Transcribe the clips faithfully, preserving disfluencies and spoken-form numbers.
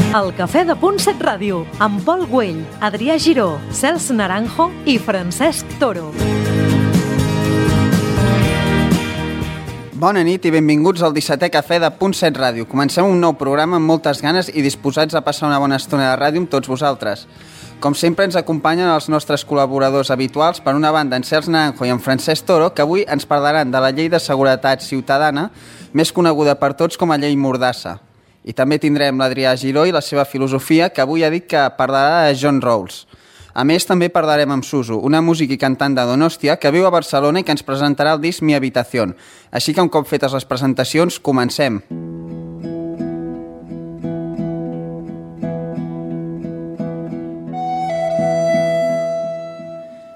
El Cafè de Punt set Ràdio, amb Pol Güell, Adrià Giró, Cels Naranjo i Francesc Toro. Bona nit i benvinguts al dissetè Cafè de Punt set Ràdio. Comencem un nou programa amb moltes ganes i disposats a passar una bona estona de ràdio amb tots vosaltres. Com sempre ens acompanyen els nostres col·laboradors habituals, per una banda en Cels Naranjo i en Francesc Toro, que avui ens parlaran de la Llei de Seguretat Ciutadana, més coneguda per tots com a Llei Mordassa. I també tindrem l'Adrià Giró i la seva filosofia, que avui ha dit que parlarà de John Rawls. A més, també parlarem amb Suso, una músic i cantant de Donòstia que viu a Barcelona i que ens presentarà el disc Mi Habitación. Així que un cop fetes les presentacions, comencem.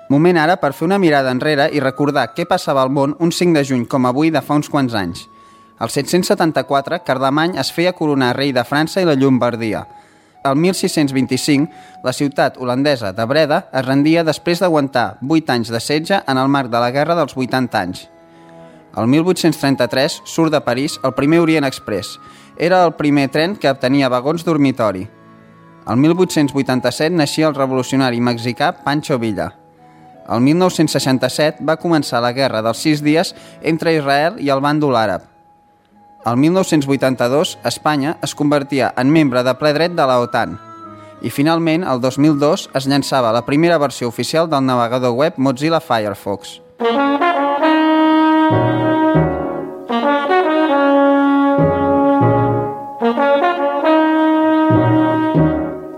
Moment ara per fer una mirada enrere i recordar què passava al món un cinc de juny com avui de fa uns quants anys. Al set-cents setanta-quatre, Carlemany es feia coronar rei de França i la Llombardia. El mil sis-cents vint-i-cinc, la ciutat holandesa de Breda es rendia després d'aguantar vuit anys de setge en el marc de la Guerra dels vuitanta anys. El mil vuit-cents trenta-tres surt de París el primer Orient Express. Era el primer tren que tenia vagons dormitori. El mil vuit-cents vuitanta-set naixia el revolucionari mexicà Pancho Villa. El mil nou-cents seixanta-set va començar la Guerra dels Sis Dies entre Israel i el bàndol àrab. El mil nou-cents vuitanta-dos, Espanya es convertia en membre de ple dret de la OTAN. I finalment, el dos mil dos, es llançava la primera versió oficial del navegador web Mozilla Firefox.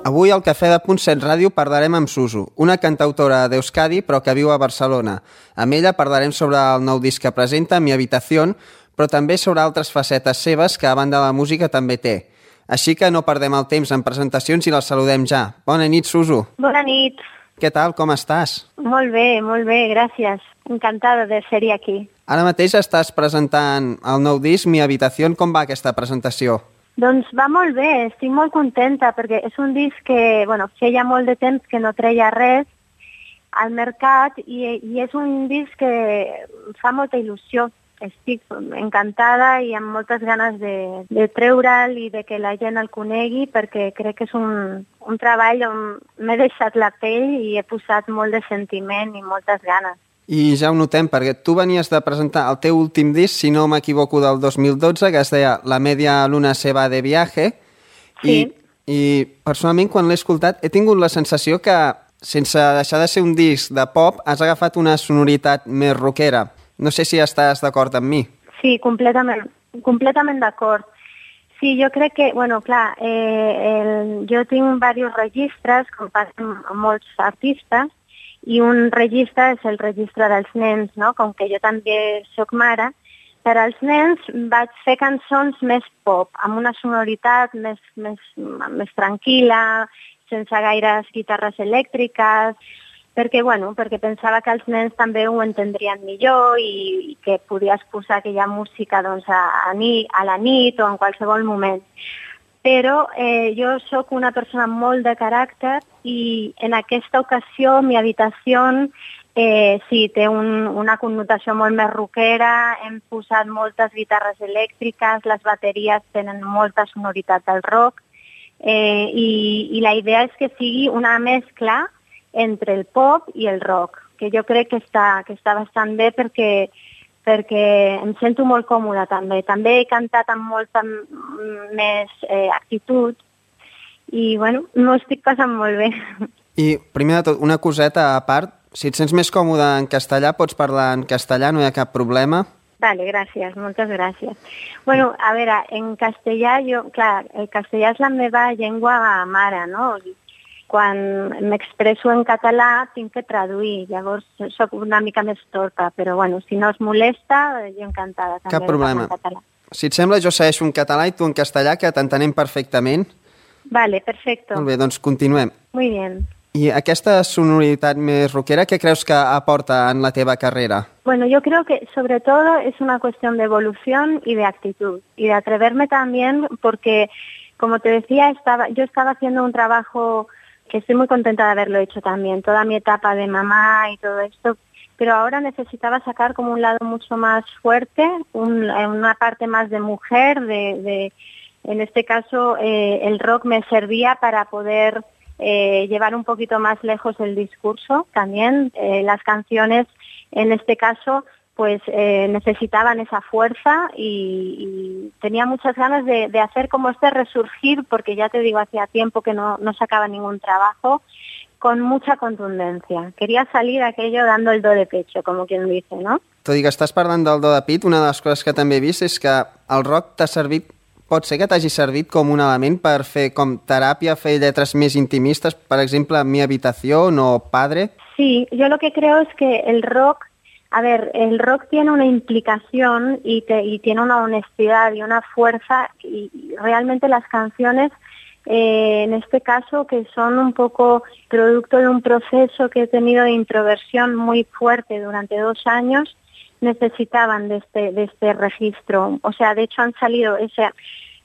Avui al Cafè de Punt set Ràdio parlarem amb Suso, una cantautora d'Euskadi però que viu a Barcelona. Amb ella parlarem sobre el nou disc que presenta, Mi Habitación, però també sobre altres facetes seves que a banda de la música també té. Així que no perdem el temps en presentacions i la saludem ja. Bona nit, Suso. Bona nit. Què tal, com estàs? Molt bé, molt bé, gràcies. Encantada de ser aquí. Ara mateix estàs presentant el nou disc, Mi Habitación. Com va aquesta presentació? Doncs va molt bé, estic molt contenta perquè és un disc que, bueno, feia molt de temps que no treia res al mercat i, i és un disc que fa molta il·lusió. Estic encantada i amb moltes ganes de, de treure'l i de que la gent el conegui perquè crec que és un, un treball on m'he deixat la pell i he posat molt de sentiment i moltes ganes. I ja ho notem, perquè tu venies de presentar el teu últim disc, si no m'equivoco, del dos mil dotze, que es deia La media luna se va de viaje. Sí. I, i personalment, quan l'he escoltat, he tingut la sensació que, sense deixar de ser un disc de pop, has agafat una sonoritat més rockera. No sé si estàs d'acord amb mi. Sí, completament, completament d'acord. Sí, jo crec que, bueno, clar, eh, el, jo tinc diversos registres, com passen molts artistes, i un registre és el registre dels nens, no? Com que jo també soc mare, per als nens vaig fer cançons més pop, amb una sonoritat més, més, més tranquil·la, sense gaires guitarres elèctriques, perquè, bueno, perquè pensava que els nens també ho entendrien millor i, i que podies posar aquella música doncs, a, a, ni, a la nit o en qualsevol moment. Però eh, jo sóc una persona molt de caràcter i en aquesta ocasió Mi Habitación eh, sí, té un, una connotació molt més rockera, hem posat moltes guitarres elèctriques, les bateries tenen molta sonoritat del rock eh, i, i la idea és que sigui una mescla entre el pop i el rock, que jo crec que està, que està bastant bé perquè perquè em sento molt còmoda també. També he cantat amb molta més eh, actitud i, bueno, m'ho estic passant molt bé. I, primer de tot, una coseta a part, si et sents més còmode en castellà, pots parlar en castellà, no hi ha cap problema? Vale, gràcies, moltes gràcies. Bueno, a veure, en castellà, jo, clar, el castellà és la meva llengua mare, no? Quan m'expresso en català tinc que traduir, llavors sóc una mica més torta, però bueno, si no us molesta, jo encantada també. Cap problema. Si et sembla, jo segueixo en català i tu en castellà, que t'entenem perfectament. Vale, perfecto. Molt bé, doncs continuem. Muy bien. I aquesta sonoritat més rockera, què creus que aporta en la teva carrera? Bueno, yo creo que sobre todo es una cuestión de evolución y de actitud y de atreverme también porque, como te decía, estaba, yo estaba haciendo un trabajo que estoy muy contenta de haberlo hecho también, toda mi etapa de mamá y todo esto, pero ahora necesitaba sacar como un lado mucho más fuerte, un, una parte más de mujer, de, de En este caso, eh, el rock me servía para poder eh, llevar un poquito más lejos el discurso también. Eh, las canciones, en este caso, pues eh, necesitaban esa fuerza y, y tenía muchas ganas de, de hacer como este resurgir, porque ya te digo, hacía tiempo que no, no sacaba ningún trabajo, con mucha contundencia. Queria salir aquello dando el do de pecho, com quien dice, no? Tot i que estàs parlant del do de pit, una de les coses que també he vist és que el rock t'ha servit, pot ser que t'hagi servit com un element per fer com teràpia, fer lletres més intimistes, per exemple, Mi habitación o Padre. Sí, yo lo que creo es que el rock, a ver, el rock tiene una implicación y, te, y tiene una honestidad y una fuerza, y realmente las canciones, Eh, en este caso, que son un poco producto de un proceso que he tenido de introversión muy fuerte durante dos años, necesitaban de este, de este registro. O sea, de hecho han salido, ese,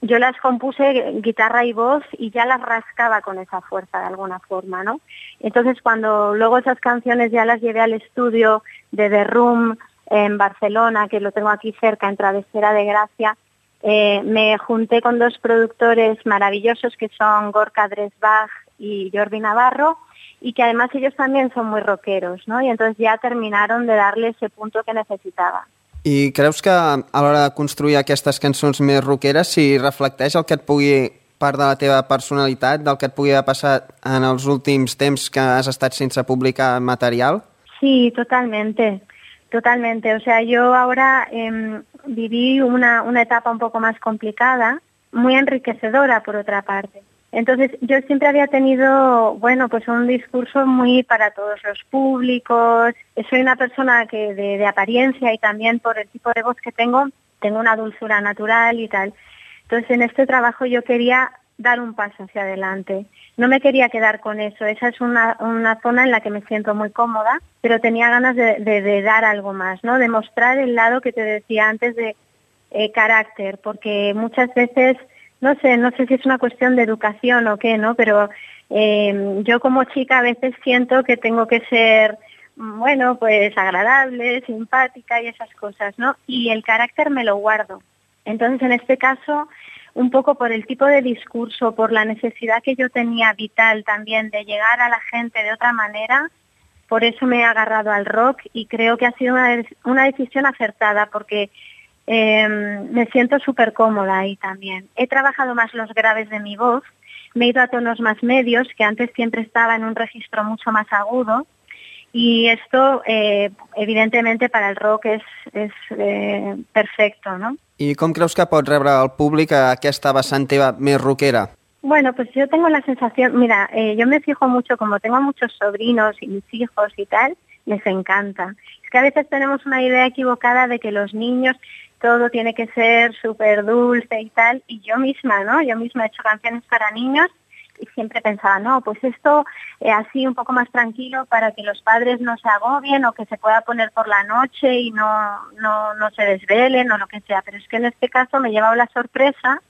yo las compuse guitarra y voz y ya las rascaba con esa fuerza de alguna forma, ¿no? Entonces cuando luego esas canciones ya las llevé al estudio de The Room en Barcelona, que lo tengo aquí cerca, en Travesera de Gracia, Eh, me junté con dos productores maravillosos que son Gorka Dresbach y Jordi Navarro, y que además ellos también son muy rockeros, ¿no? Y entonces ya terminaron de darle ese punto que necesitava. I creus que a l'hora de construir aquestes cançons més rockeres si reflecteix el que et pugui, part de la teva personalitat, del que et pugui haver passat en els últims temps que has estat sense publicar material? Sí, totalmente. Totalmente, o sea, yo ahora eh, viví una, una etapa un poco más complicada, muy enriquecedora por otra parte. Entonces, yo siempre había tenido, bueno, pues un discurso muy para todos los públicos. Soy una persona que de, de apariencia y también por el tipo de voz que tengo, tengo una dulzura natural y tal. Entonces, en este trabajo yo quería dar un paso hacia adelante. No me quería quedar con eso. Esa es una, una zona en la que me siento muy cómoda, pero tenía ganas de, de, de dar algo más, ¿no? De mostrar el lado que te decía antes de eh, carácter, porque muchas veces, no sé, no sé si es una cuestión de educación o qué, ¿no? Pero eh, yo como chica a veces siento que tengo que ser, bueno, pues agradable, simpática y esas cosas, ¿no? Y el carácter me lo guardo. Entonces, en este caso, un poco por el tipo de discurso, por la necesidad que yo tenía vital también de llegar a la gente de otra manera, por eso me he agarrado al rock y creo que ha sido una, una decisión acertada porque eh, me siento súper cómoda ahí también. He trabajado más los graves de mi voz, me he ido a tonos más medios, que antes siempre estaba en un registro mucho más agudo, y esto eh, evidentemente para el rock es, es eh, perfecto, ¿no? I com creus que pot rebre el públic a aquesta vessant teva més rockera? Bueno, pues yo tengo la sensación, mira, eh, yo me fijo mucho, como tengo muchos sobrinos y mis hijos y tal, les encanta. Es que a veces tenemos una idea equivocada de que los niños todo tiene que ser súper dulce y tal, y yo misma, ¿no? Yo misma he hecho canciones para niños y siempre pensaba, no, pues esto eh, así un poco más tranquilo para que los padres no se agobien o que se pueda poner por la noche y no, no, no se desvelen o lo que sea. Pero es que en este caso me he llevado la sorpresa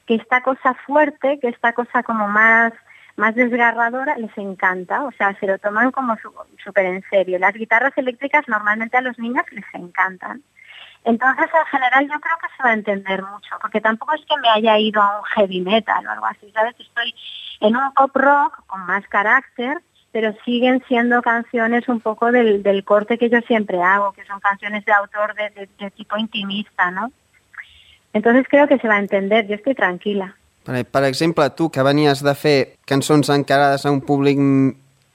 que esta cosa fuerte, que esta cosa como más, más desgarradora, les encanta. O sea, se lo toman como súper en serio. Las guitarras eléctricas normalmente a los niños les encantan. Entonces, en general, yo creo que se va a entender mucho, porque tampoco es que me haya ido a un heavy metal o algo así, ¿sabes? Estoy en un pop rock con más carácter, pero siguen siendo canciones un poco del, del corte que yo siempre hago, que son canciones de autor de, de, de tipo intimista, ¿no? Entonces creo que se va a entender, yo estoy tranquila. Per, per exemple, tu que venies de fer cançons encarades a un públic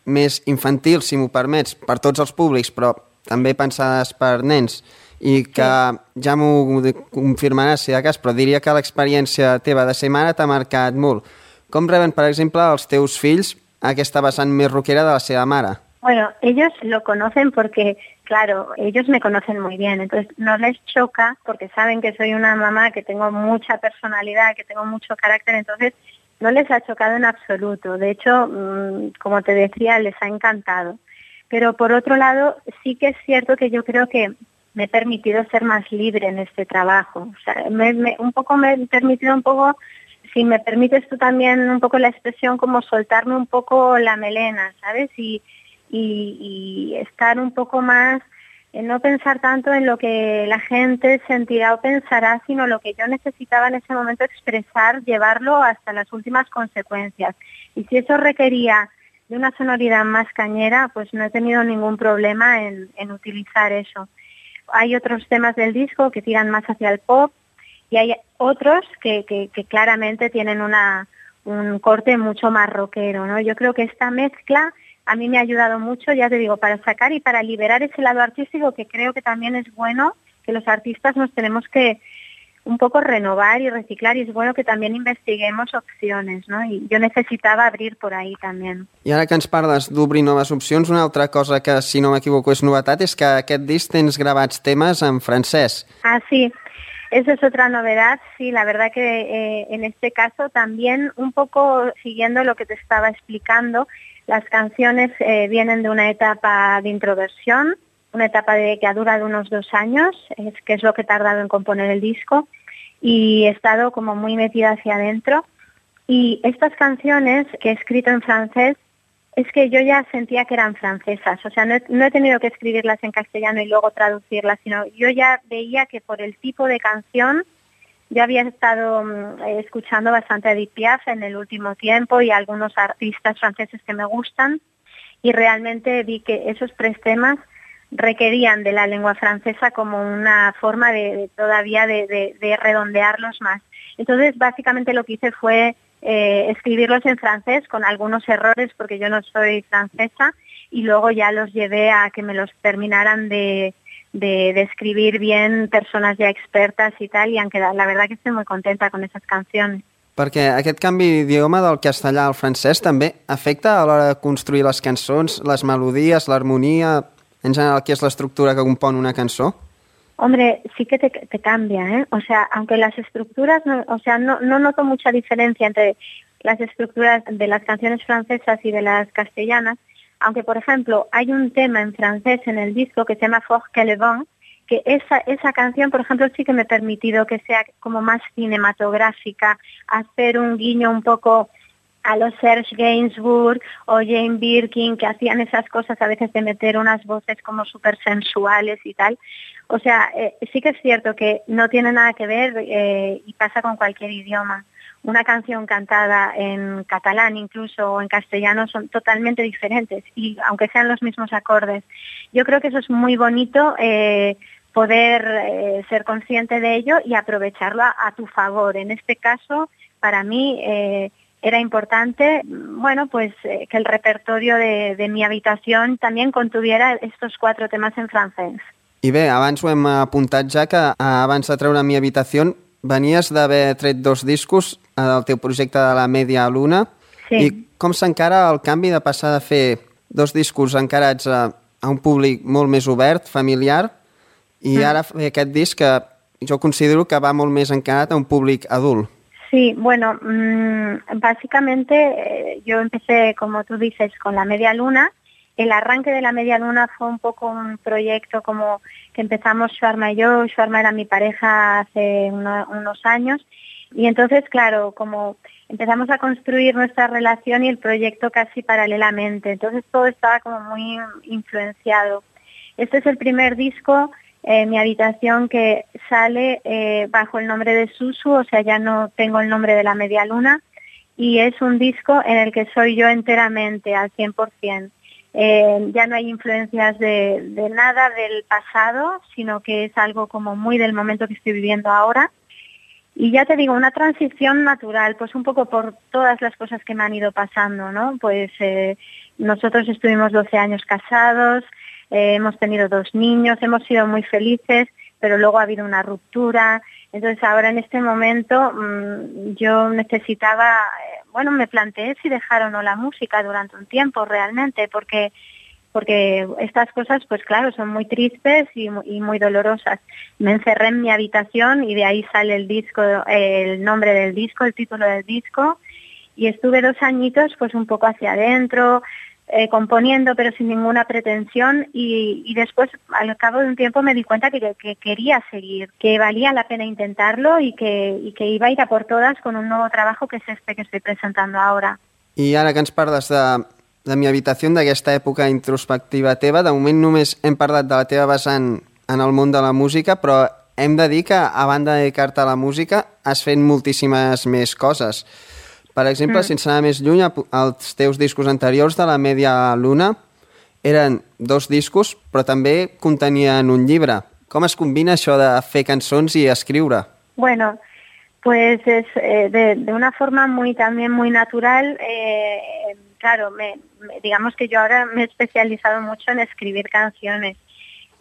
més infantil, si m'ho permets, per tots els públics, però també pensades per nens, i que sí, ja m'ho confirmaràs si de cas, però diria que l'experiència teva de ser mare t'ha marcat molt. Com reben, per exemple, els teus fills aquesta vessant més rockera de la seva mare? Bueno, ellos lo conocen porque, claro, ellos me conocen muy bien, entonces no les choca porque saben que soy una mamá que tengo mucha personalidad, que tengo mucho carácter, entonces no les ha chocado en absoluto. De hecho, como te decía, les ha encantado. Pero por otro lado, sí que es cierto que yo creo que me he permitido ser más libre en este trabajo. O sea, me, me, un poco me he permitido un poco, si me permites tú también un poco la expresión, como soltarme un poco la melena, ¿sabes? Y, y, y estar un poco más en no pensar tanto en lo que la gente sentirá o pensará, sino lo que yo necesitaba en ese momento expresar, llevarlo hasta las últimas consecuencias. Y si eso requería de una sonoridad más cañera, pues no he tenido ningún problema en, en utilizar eso. Hay otros temas del disco que tiran más hacia el pop y hay otros que, que, que claramente tienen una, un corte mucho más rockero, ¿no? Yo creo que esta mezcla a mí me ha ayudado mucho, ya te digo, para sacar y para liberar ese lado artístico, que creo que también es bueno, que los artistas nos tenemos que un poco renovar y reciclar, y es bueno que también investiguemos opciones, no? I jo necessitava abrir por ahí també. I ara que ens parles d'obrir noves opcions, una altra cosa que, si no m'equivoco, és novetat, és que aquest disc tens gravats temes en francès. Ah, sí. Esa es otra novedad, sí, la verdad que eh, en este caso también un poco siguiendo lo que te estaba explicando, las canciones eh, vienen de una etapa de introversión, una etapa de, que ha durado unos dos años, es que es lo que he tardado en componer el disco, y he estado como muy metida hacia adentro. Y estas canciones que he escrito en francés, es que yo ya sentía que eran francesas, o sea, no he, no he tenido que escribirlas en castellano y luego traducirlas, sino yo ya veía que por el tipo de canción, yo había estado um, escuchando bastante a Edith Piaf en el último tiempo y a algunos artistas franceses que me gustan, y realmente vi que esos tres temas requerían de la lengua francesa como una forma de, de todavía de, de, de redondearlos más. Entonces, básicamente lo que hice fue eh, escribirlos en francés con algunos errores porque yo no soy francesa, y luego ya los llevé a que me los terminaran de, de, de escribir bien personas ya expertas y tal, y han quedado, la verdad que estoy muy contenta con esas canciones. Perquè aquest canvi d'idioma del castellà al francès també afecta a l'hora de construir les cançons, les melodies, l'harmonia, en general, què és l'estructura que compon una cançó? Hombre, sí que te, te cambia, ¿eh? O sea, aunque las estructuras, no, o sea, no, no noto mucha diferencia entre las estructuras de las canciones francesas y de las castellanas, aunque, por ejemplo, hay un tema en francés en el disco que se llama Fort que le vent, que esa, esa canción, por ejemplo, sí que me he permitido que sea como más cinematográfica, hacer un guiño un poco a los Serge Gainsbourg o Jane Birkin, que hacían esas cosas a veces de meter unas voces como súper sensuales y tal. O sea, eh, sí que es cierto que no tiene nada que ver eh, y pasa con cualquier idioma. Una canción cantada en catalán incluso o en castellano son totalmente diferentes, y aunque sean los mismos acordes. Yo creo que eso es muy bonito, eh, poder eh, ser consciente de ello y aprovecharlo a, a tu favor. En este caso, para mí eh, era importante, bueno, pues eh, que el repertorio de, de mi habitación también contuviera estos cuatro temas en francès. I bé, abans ho hem apuntat ja, que abans de treure Mi Habitació venies d'haver tret dos discos del teu projecte de la Media Luna. Sí. I com s'encara el canvi de passar de fer dos discos encarats a, a un públic molt més obert, familiar, i mm. ara fer aquest disc que jo considero que va molt més encarat a un públic adult? Sí, bueno, mmm, básicamente eh, yo empecé, como tú dices, con la Media Luna. El arranque de la Media Luna fue un poco un proyecto como que empezamos Shuarma y yo. Shuarma era mi pareja hace uno, unos años, y entonces, claro, como empezamos a construir nuestra relación y el proyecto casi paralelamente, entonces todo estaba como muy influenciado. Este es el primer disco, eh, Mi Habitación, que sale eh, bajo el nombre de Susu, o sea, ya no tengo el nombre de la Media Luna, y es un disco en el que soy yo enteramente, al cien por ciento. Eh, ya no hay influencias de, de nada del pasado, sino que es algo como muy del momento que estoy viviendo ahora. Y ya te digo, una transición natural, pues un poco por todas las cosas que me han ido pasando, ¿no? Pues eh, nosotros estuvimos doce años casados, eh, hemos tenido dos niños, hemos sido muy felices, pero luego ha habido una ruptura. Entonces ahora en este momento mmm, yo necesitaba, eh, bueno, me planteé si dejar o no la música durante un tiempo realmente, porque porque estas cosas, pues claro, son muy tristes y, y muy dolorosas. Me encerré en mi habitación y de ahí sale el disco, eh, el nombre del disco, el título del disco, y estuve dos añitos pues un poco hacia adentro, Eh, componiendo pero sin ninguna pretensión, y, y después al cabo de un tiempo me di cuenta que, que quería seguir, que valía la pena intentarlo y que, y que iba a ir a por todas con un nuevo trabajo que es este que estoy presentando ahora. I ara que ens parles de de mi habitació, d'aquesta època introspectiva teva. De moment només hem parlat de la teva vessant en el món de la música, però hem de dir que, a banda de dedicar-te a la música, has fet moltíssimes més coses. Per exemple, mm. sense anar més lluny, els teus discos anteriors de la Media Luna eren dos discos, però també contenien un llibre. Com es combina això de fer cançons y escriure? Bueno, pues es eh, de, de una forma muy también muy natural. Eh, claro, me, me, digamos que yo ahora me he especializado mucho en escribir canciones,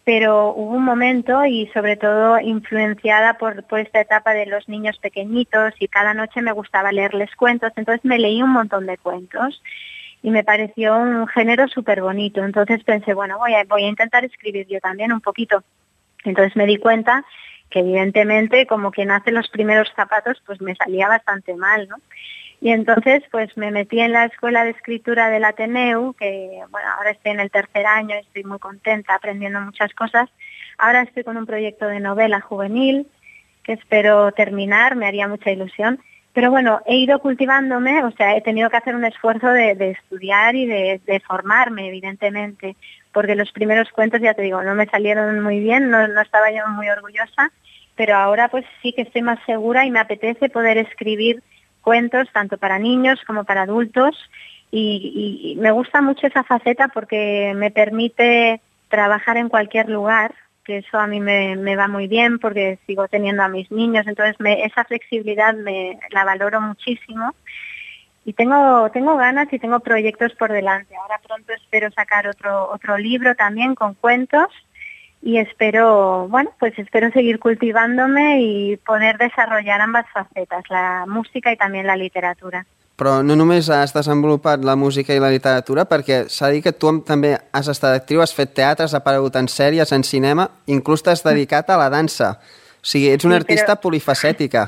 pero hubo un momento, y sobre todo influenciada por, por esta etapa de los niños pequeñitos, y cada noche me gustaba leerles cuentos, entonces me leí un montón de cuentos y me pareció un género súper bonito. Entonces pensé, bueno, voy a, voy a intentar escribir yo también un poquito. Entonces me di cuenta que evidentemente, como quien hace los primeros zapatos, pues me salía bastante mal, ¿no? Y entonces pues me metí en la Escuela de Escritura del Ateneu, que bueno, ahora estoy en el tercer año, estoy muy contenta aprendiendo muchas cosas. Ahora estoy con un proyecto de novela juvenil que espero terminar, me haría mucha ilusión. Pero bueno, he ido cultivándome, o sea, he tenido que hacer un esfuerzo de, de estudiar y de, de formarme, evidentemente, porque los primeros cuentos, ya te digo, no me salieron muy bien, no, no estaba yo muy orgullosa, pero ahora pues sí que estoy más segura y me apetece poder escribir cuentos tanto para niños como para adultos, y, y, y me gusta mucho esa faceta porque me permite trabajar en cualquier lugar, que eso a mí me, me va muy bien porque sigo teniendo a mis niños, entonces me, esa flexibilidad me la valoro muchísimo. Y tengo tengo ganas y tengo proyectos por delante. Ahora pronto espero sacar otro otro libro también con cuentos, y espero, bueno, pues espero seguir cultivándome y poder desarrollar ambas facetas, la música y también la literatura. Però no només has desenvolupat la música i la literatura, perquè s'ha dit que tu també has estat actriu, has fet teatre, has aparegut en sèries, en cinema, inclús t'has dedicat a la dansa. O sigui, ets una sí, artista pero... polifacética.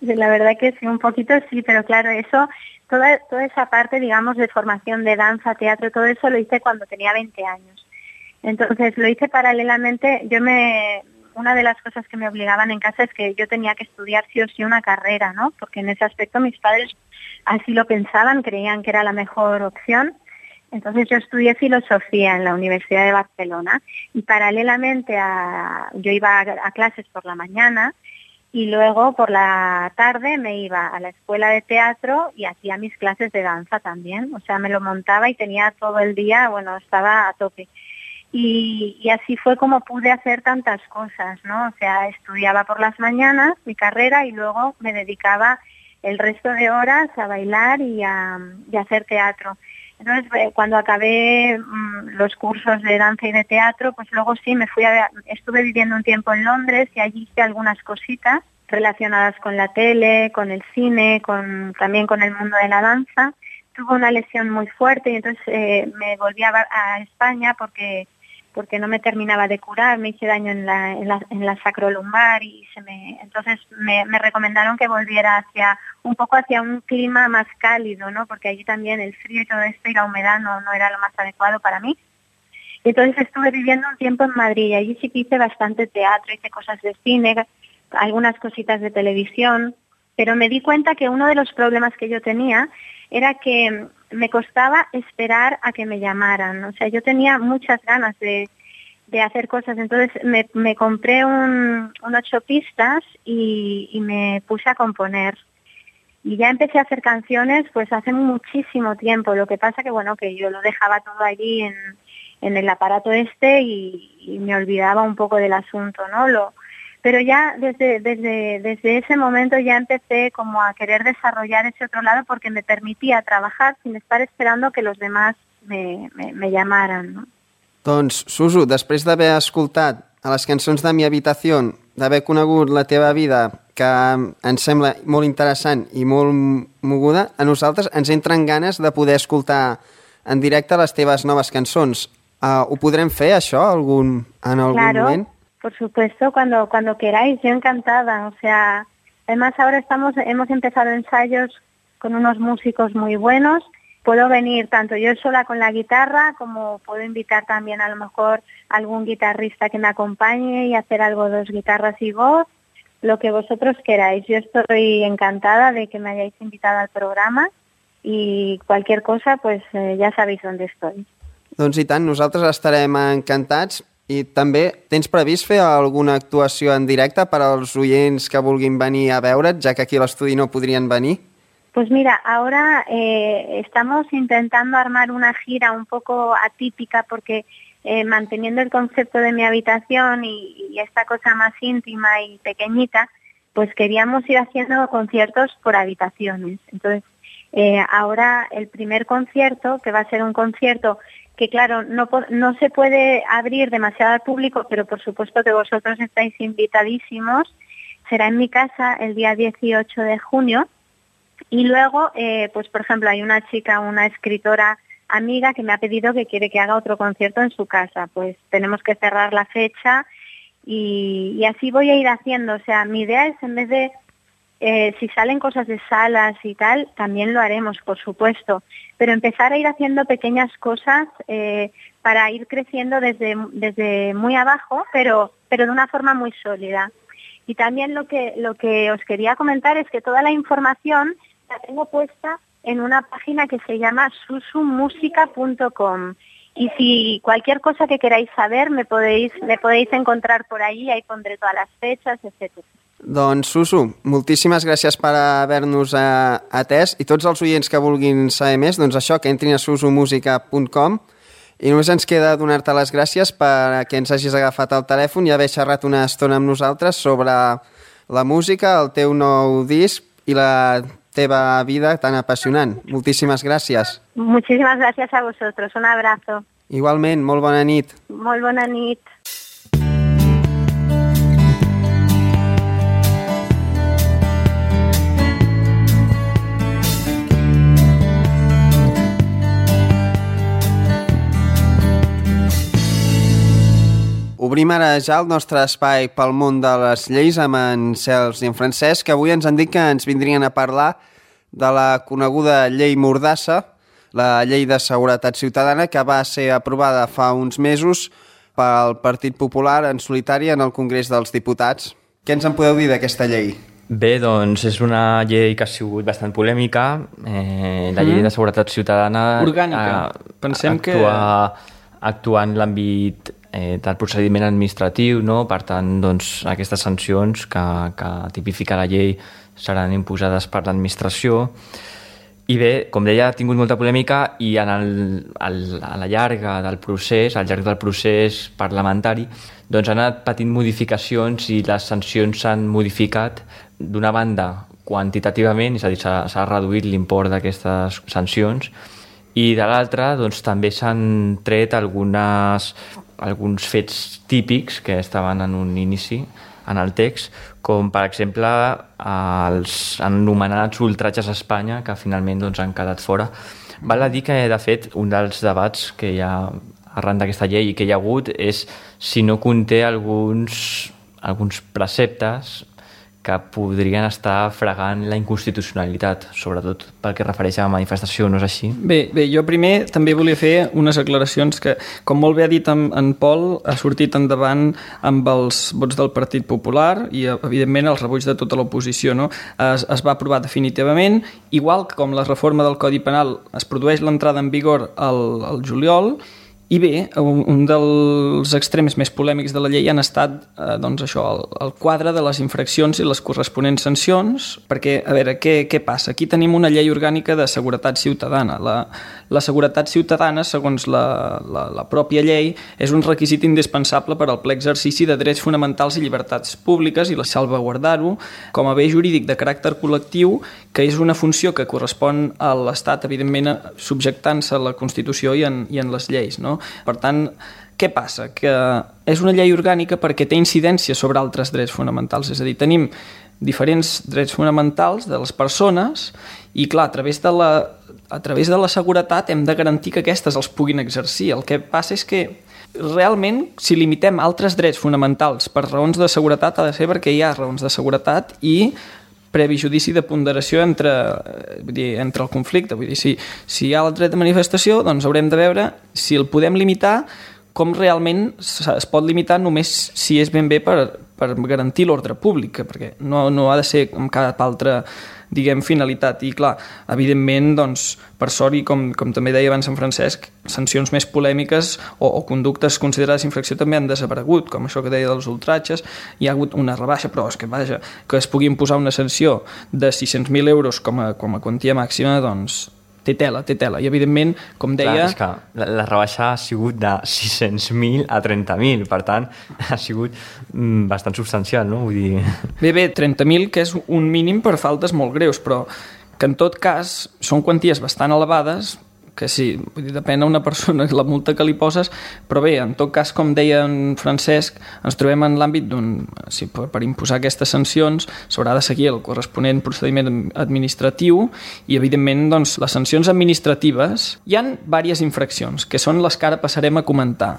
La verdad que sí, un poquito sí, pero claro, eso... Toda, toda esa parte, digamos, de formación de danza, teatro, todo eso lo hice cuando tenía veinte años. Entonces lo hice paralelamente. Yo me, una de las cosas que me obligaban en casa es que yo tenía que estudiar sí o sí una carrera, ¿no? Porque en ese aspecto mis padres así lo pensaban, creían que era la mejor opción. Entonces yo estudié filosofía en la Universidad de Barcelona, y paralelamente a, yo iba a, a clases por la mañana, y luego por la tarde me iba a la escuela de teatro y hacía mis clases de danza también. O sea, me lo montaba y tenía todo el día, bueno, estaba a tope. Y, y así fue como pude hacer tantas cosas, ¿no? O sea, estudiaba por las mañanas mi carrera y luego me dedicaba el resto de horas a bailar y a, y a hacer teatro. Entonces, cuando acabé mmm, los cursos de danza y de teatro, pues luego sí me fui a, estuve viviendo un tiempo en Londres y allí hice algunas cositas relacionadas con la tele, con el cine, con también con el mundo de la danza. Tuve una lesión muy fuerte y entonces eh, me volví a, a España porque porque no me terminaba de curar, me hice daño en la, en la, en la sacrolumbar y se me, entonces me, me recomendaron que volviera hacia un poco hacia un clima más cálido, ¿no? Porque allí también el frío y todo esto y la humedad no, no era lo más adecuado para mí. Y entonces estuve viviendo un tiempo en Madrid y allí sí que hice bastante teatro, hice cosas de cine, algunas cositas de televisión, pero me di cuenta que uno de los problemas que yo tenía era que me costaba esperar a que me llamaran. O sea, yo tenía muchas ganas de, de hacer cosas, entonces me, me compré un, un ocho pistas y, y me puse a componer. Y ya empecé a hacer canciones pues hace muchísimo tiempo. Lo que pasa que, bueno, que yo lo dejaba todo allí en, en el aparato este y, y me olvidaba un poco del asunto, ¿no? Lo, pero ya desde, desde, desde ese momento ya empecé como a querer desarrollar ese otro lado porque me permitía trabajar sin estar esperando que los demás me, me, me llamaran, no? Doncs, Suso, després d'haver escoltat a les cançons de Mi Habitació, d'haver conegut la teva vida, que ens sembla molt interessant i molt moguda, a nosaltres ens entren ganes de poder escoltar en directe les teves noves cançons. Uh, ho podrem fer, això, algun, en algun claro. moment? Por supuesto, cuando cuando queráis, yo encantada. O sea, además ahora estamos hemos empezado ensayos con unos músicos muy buenos. Puedo venir tanto yo sola con la guitarra como puedo invitar también a lo mejor a algún guitarrista que me acompañe y hacer algo dos guitarras y voz, lo que vosotros queráis. Yo estoy encantada de que me hayáis invitado al programa y cualquier cosa, pues eh, ya sabéis dónde estoy. Doncs i tant, nosaltres estarem encantats. I també tens previst fer alguna actuació en directe per als oients que vulguin venir a veure't, ja que aquí a l'estudi no podrien venir? Pues mira, ahora eh, estamos intentando armar una gira un poco atípica porque eh, manteniendo el concepto de mi habitación y, y esta cosa más íntima y pequeñita, pues queríamos ir haciendo conciertos por habitaciones. Entonces, eh, ahora el primer concierto, que va a ser un concierto que claro, no, no se puede abrir demasiado al público, pero por supuesto que vosotros estáis invitadísimos. Será en mi casa el día dieciocho de junio. Y luego, eh, pues por ejemplo, hay una chica, una escritora amiga que me ha pedido que quiere que haga otro concierto en su casa. Pues tenemos que cerrar la fecha y, y así voy a ir haciendo. O sea, mi idea es en vez de... Eh, si salen cosas de salas y tal, también lo haremos, por supuesto, pero empezar a ir haciendo pequeñas cosas eh, para ir creciendo desde, desde muy abajo, pero, pero de una forma muy sólida. Y también lo que, lo que os quería comentar es que toda la información la tengo puesta en una página que se llama susumusica punto com. Y si cualquier cosa que queráis saber me podéis, me podéis encontrar por allí, ahí pondré todas las fechas, etcétera. Doncs, Susu, moltíssimes gràcies per haver-nos eh, atès i tots els oients que vulguin saber més, doncs això, que entrin a susumusica punt com i només ens queda donar-te les gràcies per que ens hagis agafat el telèfon i haver xerrat una estona amb nosaltres sobre la música, el teu nou disc i la teva vida tan apassionant. Moltíssimes gràcies. Muchísimas gracias a vosotros. Un abrazo. Igualment, molt bona nit. Molt bona nit. Obrim ara ja el nostre espai pel món de les lleis amb en Cels i en Francesc, que avui ens han dit que ens vindrien a parlar de la coneguda llei Mordassa, la llei de seguretat ciutadana, que va ser aprovada fa uns mesos pel Partit Popular en solitari en el Congrés dels Diputats. Què ens en podeu dir d'aquesta llei? Bé, doncs és una llei que ha sigut bastant polèmica, eh, la llei mm. de seguretat ciutadana... Orgànica. Eh, Pensem actua, que... actua en l'àmbit eh, del procediment administratiu, no? Per tant, doncs, aquestes sancions que, que tipifica la llei seran imposades per l'administració. I bé, com deia, ha tingut molta polèmica i en el, el, a la llarga del procés, al llarg del procés parlamentari, doncs han anat patint modificacions i les sancions s'han modificat d'una banda quantitativament, és a dir, s'ha reduït l'import d'aquestes sancions, i de l'altra doncs, també s'han tret algunes, alguns fets típics que estaven en un inici en el text, com per exemple els anomenats ultratges a Espanya, que finalment doncs, han quedat fora. Val a dir que, de fet, un dels debats que hi ha arran d'aquesta llei i que hi ha hagut és si no conté alguns, alguns preceptes que podrien estar fregant la inconstitucionalitat, sobretot pel que refereix a la manifestació, no és així? Bé, bé, jo primer també volia fer unes aclaracions que, com molt bé ha dit en, en Pol, ha sortit endavant amb els vots del Partit Popular i, evidentment, els rebuig de tota l'oposició, no? Es, es va aprovar definitivament, igual que com la reforma del Codi Penal es produeix l'entrada en vigor al, al juliol. I bé, un, un dels extrems més polèmics de la llei han estat eh, doncs això, el, el quadre de les infraccions i les corresponents sancions, perquè, a veure, què, què passa? Aquí tenim una llei orgànica de seguretat ciutadana. La, la seguretat ciutadana, segons la, la, la pròpia llei, és un requisit indispensable per al ple exercici de drets fonamentals i llibertats públiques i la salvaguardar-ho com a bé jurídic de caràcter col·lectiu, que és una funció que correspon a l'Estat, evidentment, subjectant-se a la Constitució i en, i en les lleis, no? Per tant, què passa? Que és una llei orgànica perquè té incidència sobre altres drets fonamentals, és a dir, tenim diferents drets fonamentals de les persones i, clar, a través de la, a través de la seguretat hem de garantir que aquestes els puguin exercir. El que passa és que realment, si limitem altres drets fonamentals per raons de seguretat, ha de ser perquè hi ha raons de seguretat i previ judici de ponderació entre, vull dir, entre el conflicte. Vull dir, si, si hi ha el dret de manifestació, doncs haurem de veure si el podem limitar com realment es pot limitar només si és ben bé per, per garantir l'ordre públic, perquè no, no ha de ser amb cap altra, diguem, finalitat. I clar, evidentment, doncs, per sort, i com, com també deia abans en Francesc, sancions més polèmiques o, o conductes considerades infracció també han desaparegut, com això que deia dels ultratges. Hi ha hagut una rebaixa, però és que, vaja, que es pugui imposar una sanció de sis-cents mil euros com a, com a quantia màxima, doncs té tela, té tela. I evidentment, com deia... Clar, és que la, la rebaixa ha sigut de sis-cents mil a trenta mil, per tant, ha sigut mm, bastant substancial, no? Vull dir... Bé, bé, trenta mil, que és un mínim per faltes molt greus, però que en tot cas són quanties bastant elevades, que sí, vull dir, depèn a una persona la multa que li poses, però bé, en tot cas, com deia en Francesc, ens trobem en l'àmbit d'un... Sí, per, per imposar aquestes sancions s'haurà de seguir el corresponent procediment administratiu i, evidentment, doncs, les sancions administratives... Hi ha diverses infraccions, que són les que ara passarem a comentar.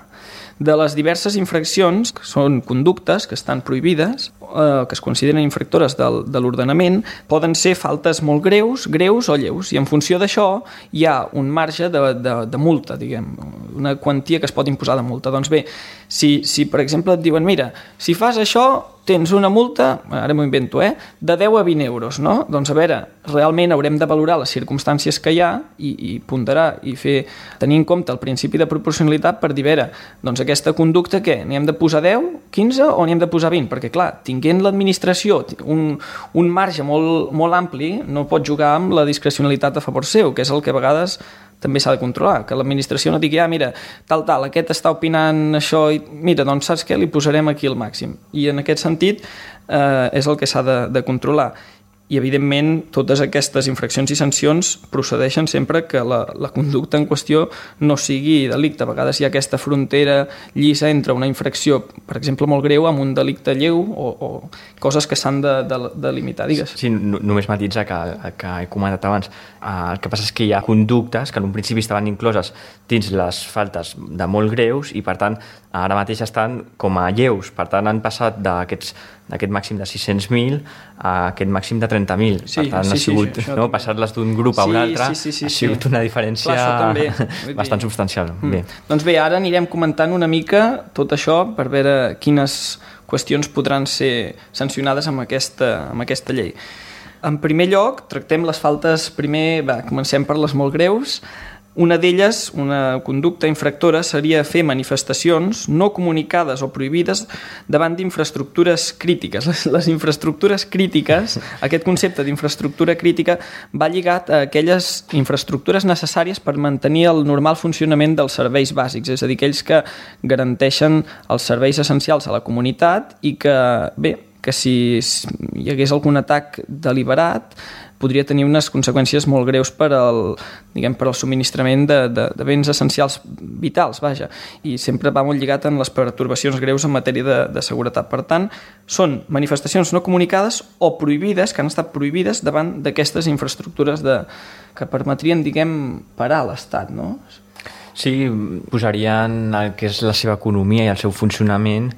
De les diverses infraccions, que són conductes que estan prohibides, eh, que es consideren infractores del, de l'ordenament, poden ser faltes molt greus, greus o lleus, i en funció d'això hi ha un marge de, de, de multa, diguem, una quantia que es pot imposar de multa. Doncs bé, si, si per exemple et diuen, mira, si fas això tens una multa, ara m'ho invento, eh, de deu a vint euros, no? Doncs a veure, realment haurem de valorar les circumstàncies que hi ha i, i ponderar i fer, tenir en compte el principi de proporcionalitat per dir, a veure, doncs aquesta conducta què? N'hi hem de posar deu, quinze o n'hi hem de posar vint? Perquè clar, tinguent l'administració un, un marge molt, molt ampli, no pot jugar amb la discrecionalitat a favor seu, que és el que a vegades també s'ha de controlar, que l'administració no digui, ah, mira, tal, tal, aquest està opinant això i mira, doncs saps què? Li posarem aquí el màxim. I en aquest sentit eh, és el que s'ha de, de controlar. I, evidentment, totes aquestes infraccions i sancions procedeixen sempre que la, la conducta en qüestió no sigui delicte. A vegades hi ha aquesta frontera llisa entre una infracció, per exemple, molt greu, amb un delicte lleu o, o coses que s'han de, de, de limitar, digues. Sí, no, només matitzar que, que he comentat abans. El que passa és que hi ha conductes que en un principi estaven incloses dins les faltes de molt greus i, per tant, ara mateix estan com a lleus. Per tant, han passat d'aquests d'aquest màxim de sis-cents mil a aquest màxim de trenta mil. Sí, per tant, sí, ha sigut, sí, no, passar-les d'un grup a un altre, sí, sí, sí, ha sigut sí. una diferència Clar, bastant substancial. Mm. Bé. Doncs bé, ara anirem comentant una mica tot això per veure quines qüestions podran ser sancionades amb aquesta, amb aquesta llei. En primer lloc, tractem les faltes primer, va, comencem per les molt greus. Una d'elles, una conducta infractora, seria fer manifestacions no comunicades o prohibides davant d'infraestructures crítiques. Les, les infraestructures crítiques, aquest concepte d'infraestructura crítica va lligat a aquelles infraestructures necessàries per mantenir el normal funcionament dels serveis bàsics, és a dir, aquells que garanteixen els serveis essencials a la comunitat i que, bé, que si hi hagués algun atac deliberat podria tenir unes conseqüències molt greus per al, diguem, per al subministrament de, de, de béns essencials vitals, vaja, i sempre va molt lligat en les pertorbacions greus en matèria de, de seguretat. Per tant, són manifestacions no comunicades o prohibides, que han estat prohibides davant d'aquestes infraestructures de, que permetrien, diguem, parar l'Estat, no? Sí, posarien el que és la seva economia i el seu funcionament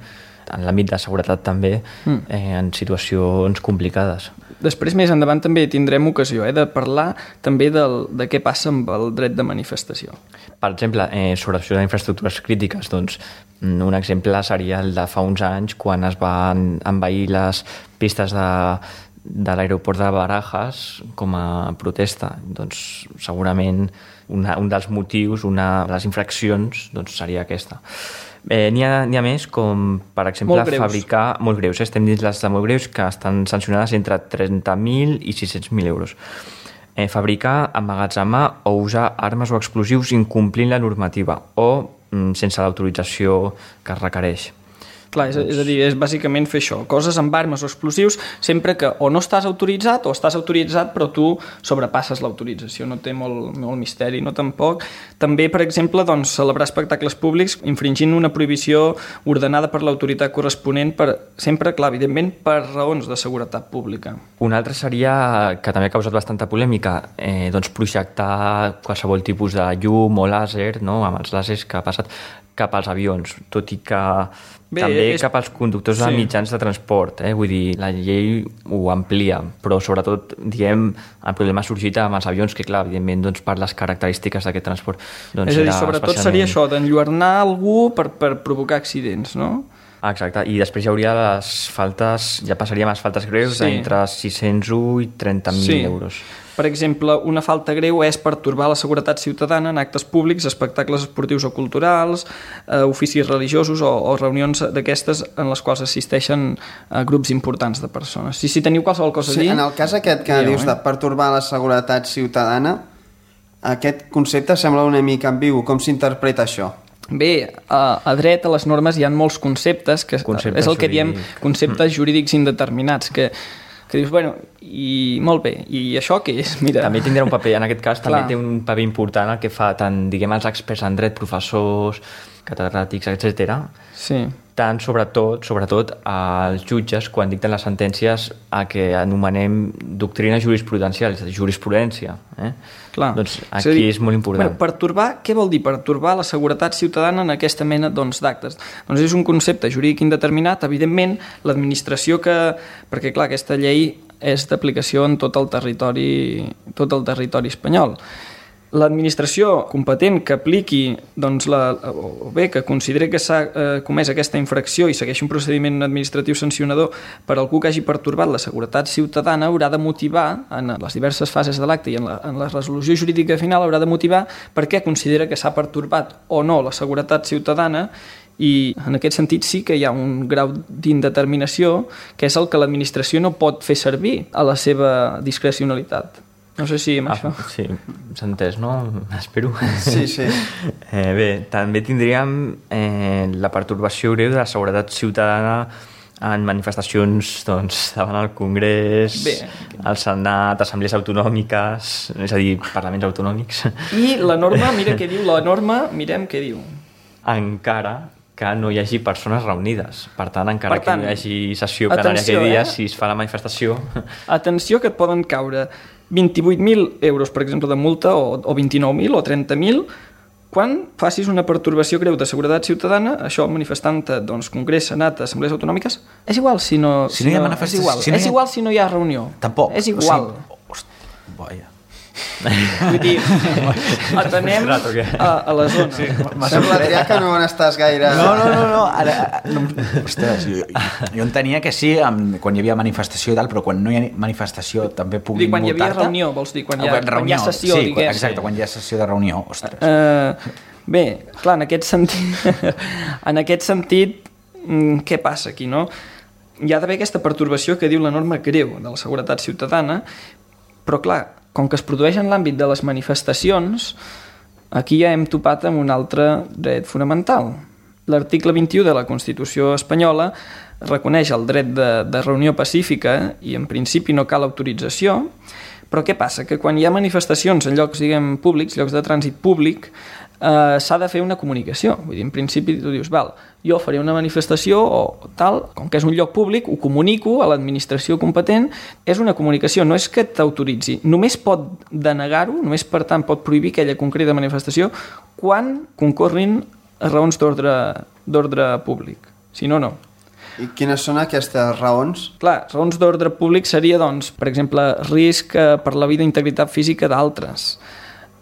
en l'àmbit de seguretat també, mm. eh, en situacions complicades. Després, més endavant, també tindrem ocasió eh, de parlar també del, de què passa amb el dret de manifestació. Per exemple, eh, sobre això d'infraestructures crítiques, doncs, un exemple seria el de fa uns anys, quan es van envair les pistes de, de l'aeroport de Barajas com a protesta. Doncs, segurament, una, un dels motius, una de les infraccions, doncs, seria aquesta. Eh, n'hi ha, n'hi ha més, com per exemple molt fabricar... Molt greus, eh? Estem dins les de molt greus, que estan sancionades entre trenta mil i sis-cents mil euros. Eh, fabricar, emmagatzemar o usar armes o explosius incomplint la normativa o mm, sense l'autorització que es requereix. Clar, és, és a dir, és bàsicament fer això, coses amb armes o explosius, sempre que o no estàs autoritzat o estàs autoritzat però tu sobrepasses l'autorització, no té molt, molt misteri, no tampoc. També, per exemple, doncs, celebrar espectacles públics infringint una prohibició ordenada per l'autoritat corresponent, per, sempre, clar, evidentment, per raons de seguretat pública. Un altre seria, que també ha causat bastanta polèmica, eh, doncs projectar qualsevol tipus de llum o làser, no? Amb els làsers que ha passat, cap als avions, tot i que Bé, també és... cap als conductors sí. de mitjans de transport, eh? Vull dir, la llei ho amplia, però sobretot, diguem, el problema ha sorgit amb els avions, que clar, evidentment, doncs, per les característiques d'aquest transport. Doncs, és a dir, sobretot especialment... seria això, d'enlluernar algú per, per provocar accidents, no? Exacte, i després hi hauria les faltes, ja passaríem a les faltes greus sí. d'entre sis-cents u i trenta mil sí. euros. Per exemple, una falta greu és pertorbar la seguretat ciutadana en actes públics, espectacles esportius o culturals, eh, oficis religiosos o, o reunions d'aquestes en les quals assisteixen eh, grups importants de persones. Si, si teniu qualsevol cosa sí, a dir... En el cas aquest que dieu, dius eh? de pertorbar la seguretat ciutadana, aquest concepte sembla una mica ambigu. Com s'interpreta això? Bé, a, a dret, a les normes, hi ha molts conceptes, que conceptes és el que diem conceptes jurídics indeterminats, que que dius, bueno, i molt bé, i això què és? Mira. També tindrà un paper, en aquest cas també té un paper important el que fa tant, diguem, els experts en dret, professors, catedràtics, etcètera. Sí. Tant, sobretot, sobretot als jutges quan dicten les sentències a que anomenem doctrina jurisprudencial, és a dir, jurisprudència. Eh? Clar. Doncs aquí és, dir, és molt important. Bueno, pertorbar, què vol dir pertorbar la seguretat ciutadana en aquesta mena doncs, d'actes? Doncs és un concepte jurídic indeterminat, evidentment, l'administració que... Perquè, clar, aquesta llei és d'aplicació en tot el territori, tot el territori espanyol. L'administració competent que apliqui, doncs, la, o bé, que consideri que s'ha eh, comès aquesta infracció i segueixi un procediment administratiu sancionador per algú que hagi pertorbat la seguretat ciutadana, haurà de motivar, en les diverses fases de l'acte i en la, en la resolució jurídica final, haurà de motivar per què considera que s'ha pertorbat o no la seguretat ciutadana, i en aquest sentit sí que hi ha un grau d'indeterminació que és el que l'administració no pot fer servir a la seva discrecionalitat. No sé si amb ah, això... Sí, s'ha entès, no? Espero. Sí, sí. Eh, bé, també tindríem eh, la pertorbació greu de la seguretat ciutadana en manifestacions doncs, davant el Congrés, bé. El Senat, assemblees autonòmiques, és a dir, parlaments autonòmics. I la norma, mira què diu, la norma, mirem què diu. Encara que no hi hagi persones reunides. Per tant, encara per tant, que no hi hagi sessió plenària aquell dia, eh? Si es fa la manifestació... Atenció que et poden caure vint-i-vuit mil euros, per exemple, de multa, o, o vint-i-nou mil o trenta mil, quan facis una pertorbació greu de seguretat ciutadana, això manifestant doncs, Congrés, Senat, Assemblees Autonòmiques, és igual si no... Si no hi ha manifestació... És igual, si no és ha... igual si no hi ha reunió. Tampoc. És igual. O sigui, hosti, vaja. Vull dir, atenem a, a la zona. Sí, sembla, Adrià, que no n'estàs gaire... No, no, no, no, ara, no ostres, jo, jo entenia que sí amb, quan hi havia manifestació i tal, però quan no hi ha manifestació també puguin multar-te. Quan hi havia reunió, vols dir? Quan hi ha, reunió, quan hi ha sessió, sí, diguem. Exacte, quan hi ha sessió de reunió, ostres. Uh, bé, clar, en aquest sentit, en aquest sentit, què passa aquí, no? Hi ha d'haver aquesta pertorbació que diu la norma greu de la seguretat ciutadana, però clar, com que es produeix en l'àmbit de les manifestacions, aquí ja hem topat amb un altre dret fonamental. L'article vint-i-u de la Constitució espanyola reconeix el dret de, de reunió pacífica i en principi no cal autorització, però què passa? Que quan hi ha manifestacions en llocs, diguem, públics, llocs de trànsit públic, eh, s'ha de fer una comunicació. Vull dir, en principi tu dius, val, jo faré una manifestació o tal, com que és un lloc públic, ho comunico a l'administració competent, és una comunicació, no és que t'autoritzi, només pot denegar-ho, només per tant pot prohibir aquella concreta manifestació quan concorrin raons d'ordre públic, si no, no. I quines són aquestes raons? Clar, raons d'ordre públic seria, doncs, per exemple, risc per la vida i integritat física d'altres,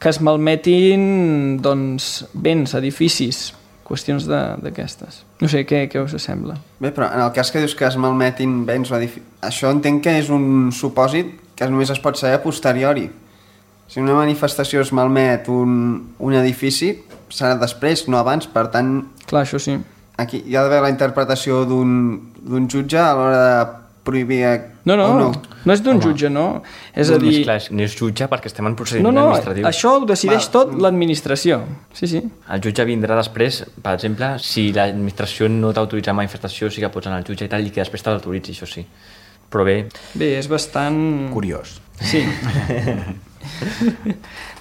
que es malmetin, doncs, béns, edificis, qüestions d'aquestes. No sé, què, què us sembla? Bé, però en el cas que dius que es malmetin béns o edificis, això entenc que és un supòsit que només es pot saber a posteriori. Si una manifestació es malmet un, un edifici, serà després, no abans, per tant... Clar, això sí. Aquí hi ha d'haver la interpretació d'un jutge a l'hora de prohibir... No, no, no, no és d'un jutge, no. És a dir... Clar, no és jutge perquè estem en procediment no, no, administratiu. Això ho decideix Va. tot l'administració. Sí, sí. El jutge vindrà després, per exemple, si l'administració no t'autoritza manifestació, sí que pots anar al jutge i tal, i que després te l'autoritzi, això sí. Però bé... Bé, és bastant... Curiós. Sí.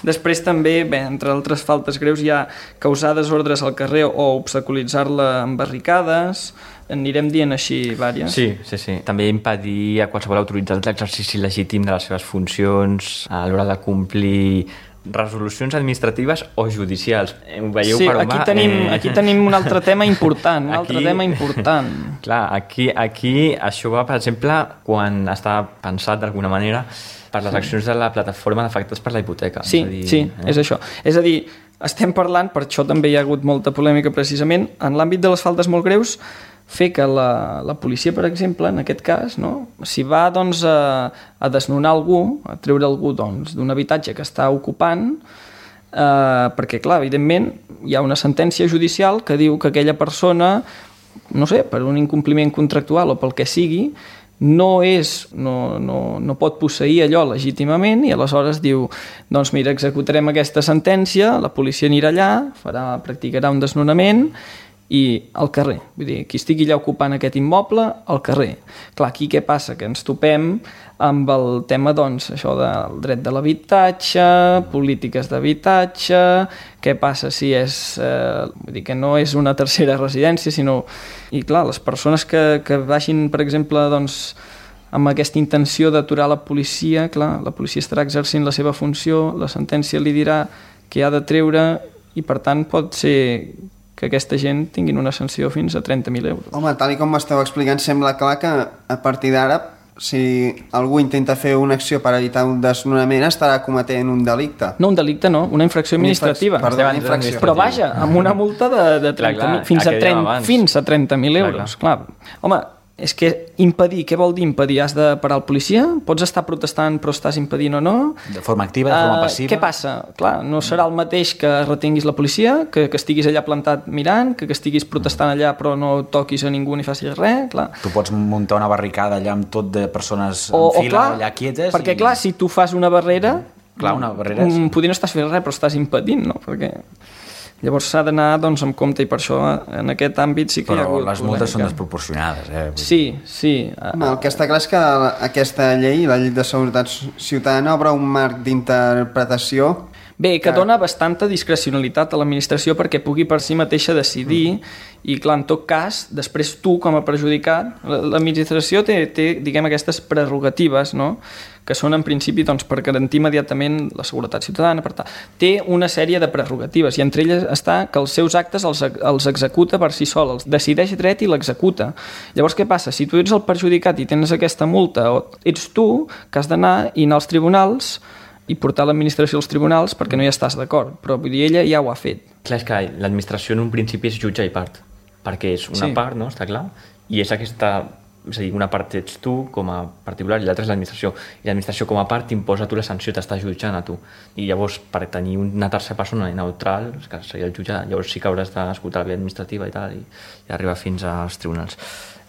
Després també, bé, entre altres faltes greus, hi ha causar desordres al carrer o obstaculitzar-la amb barricades, anirem dient així vàries. Sí, sí, sí. També impedir a qualsevol autoritzat l'exercici legítim de les seves funcions a l'hora de complir resolucions administratives o judicials. Ho veieu sí, per on aquí va? tenim, Eh, aquí tenim un altre tema important, un Aquí- altre tema important. Clar, aquí, aquí això va, per exemple, quan està pensat d'alguna manera per les accions de la plataforma d'afectats per la hipoteca. Sí, és a dir, sí, eh? és això. És a dir, estem parlant, per això també hi ha hagut molta polèmica precisament, en l'àmbit de les faltes molt greus, fer que la, la policia, per exemple, en aquest cas, no, si va doncs, a, a desnonar algú, a treure algú doncs, d'un habitatge que està ocupant, eh, perquè, clar, evidentment, hi ha una sentència judicial que diu que aquella persona, no sé, per un incompliment contractual o pel que sigui, no, és, no, no, no pot posseir allò legítimament i aleshores diu, doncs mira, executarem aquesta sentència, la policia anirà allà, farà, practicarà un desnonament i al carrer. Vull dir, qui estigui allà ocupant aquest immoble, al carrer. Clar, aquí què passa? Que ens topem amb el tema, doncs, això del dret de l'habitatge, polítiques d'habitatge, què passa si és, eh, vull dir, que no és una tercera residència, sinó... I clar, les persones que, que vagin, per exemple, doncs, amb aquesta intenció d'aturar la policia, clar, la policia estarà exercint la seva funció, la sentència li dirà que ha de treure i, per tant, pot ser que aquesta gent tinguin una sanció fins a trenta mil euros. Home, tal i com m'esteu explicant, sembla clar que a partir d'ara, si algú intenta fer una acció per evitar un desnonament, estarà cometent un delicte. No, un delicte no, una infracció administrativa. Perdó, una infracció. Però vaja, amb una multa de, de trenta mil, fins, a trenta, fins a trenta mil euros. Clar, clar. Home, és que impedir, què vol dir impedir? Has de parar el policia? Pots estar protestant però estàs impedint o no? De forma activa, de forma passiva? Uh, què passa? Clar, no serà el mateix que retinguis la policia, que, que estiguis allà plantat mirant, que, que estiguis protestant allà però no toquis a ningú ni facis res, clar. Tu pots muntar una barricada allà amb tot de persones o, en fila, o clar, allà quietes... perquè i... clar, si tu fas una barrera... Clar, una barrera... És... Potser no estàs fent res, però estàs impedint, no? Perquè... Llavors s'ha d'anar doncs, amb compte i per això en aquest àmbit sí que però hi ha hagut les multes polèmica. són desproporcionades, eh? Sí, sí. Home, el que està clar és que aquesta llei, la llei de seguretat ciutadana, obre un marc d'interpretació. Bé, que dona bastanta discrecionalitat a l'administració perquè pugui per si mateixa decidir i, clar, en tot cas, després tu, com a perjudicat, l'administració té, té diguem, aquestes prerrogatives, no?, que són, en principi, doncs, per garantir immediatament la seguretat ciutadana, per tal. Té una sèrie de prerrogatives i entre elles està que els seus actes els, els executa per si sol, els decideix dret i l'executa. Llavors, què passa? Si tu ets el perjudicat i tens aquesta multa, o ets tu que has d'anar i anar als tribunals i portar l'administració als tribunals perquè no hi estàs d'acord, però vull dir, ella ja ho ha fet. Clar, és que l'administració en un principi és jutge i part, perquè és una Sí. part, no?, està clar, i és aquesta, és a dir, una part ets tu com a particular i l'altra és l'administració, i l'administració com a part t'imposa a tu la sanció, t'està jutjant a tu, i llavors per tenir una tercera persona neutral, que seria el jutge, llavors sí que hauràs d'escoltar la via administrativa i tal, i, i arribar fins als tribunals.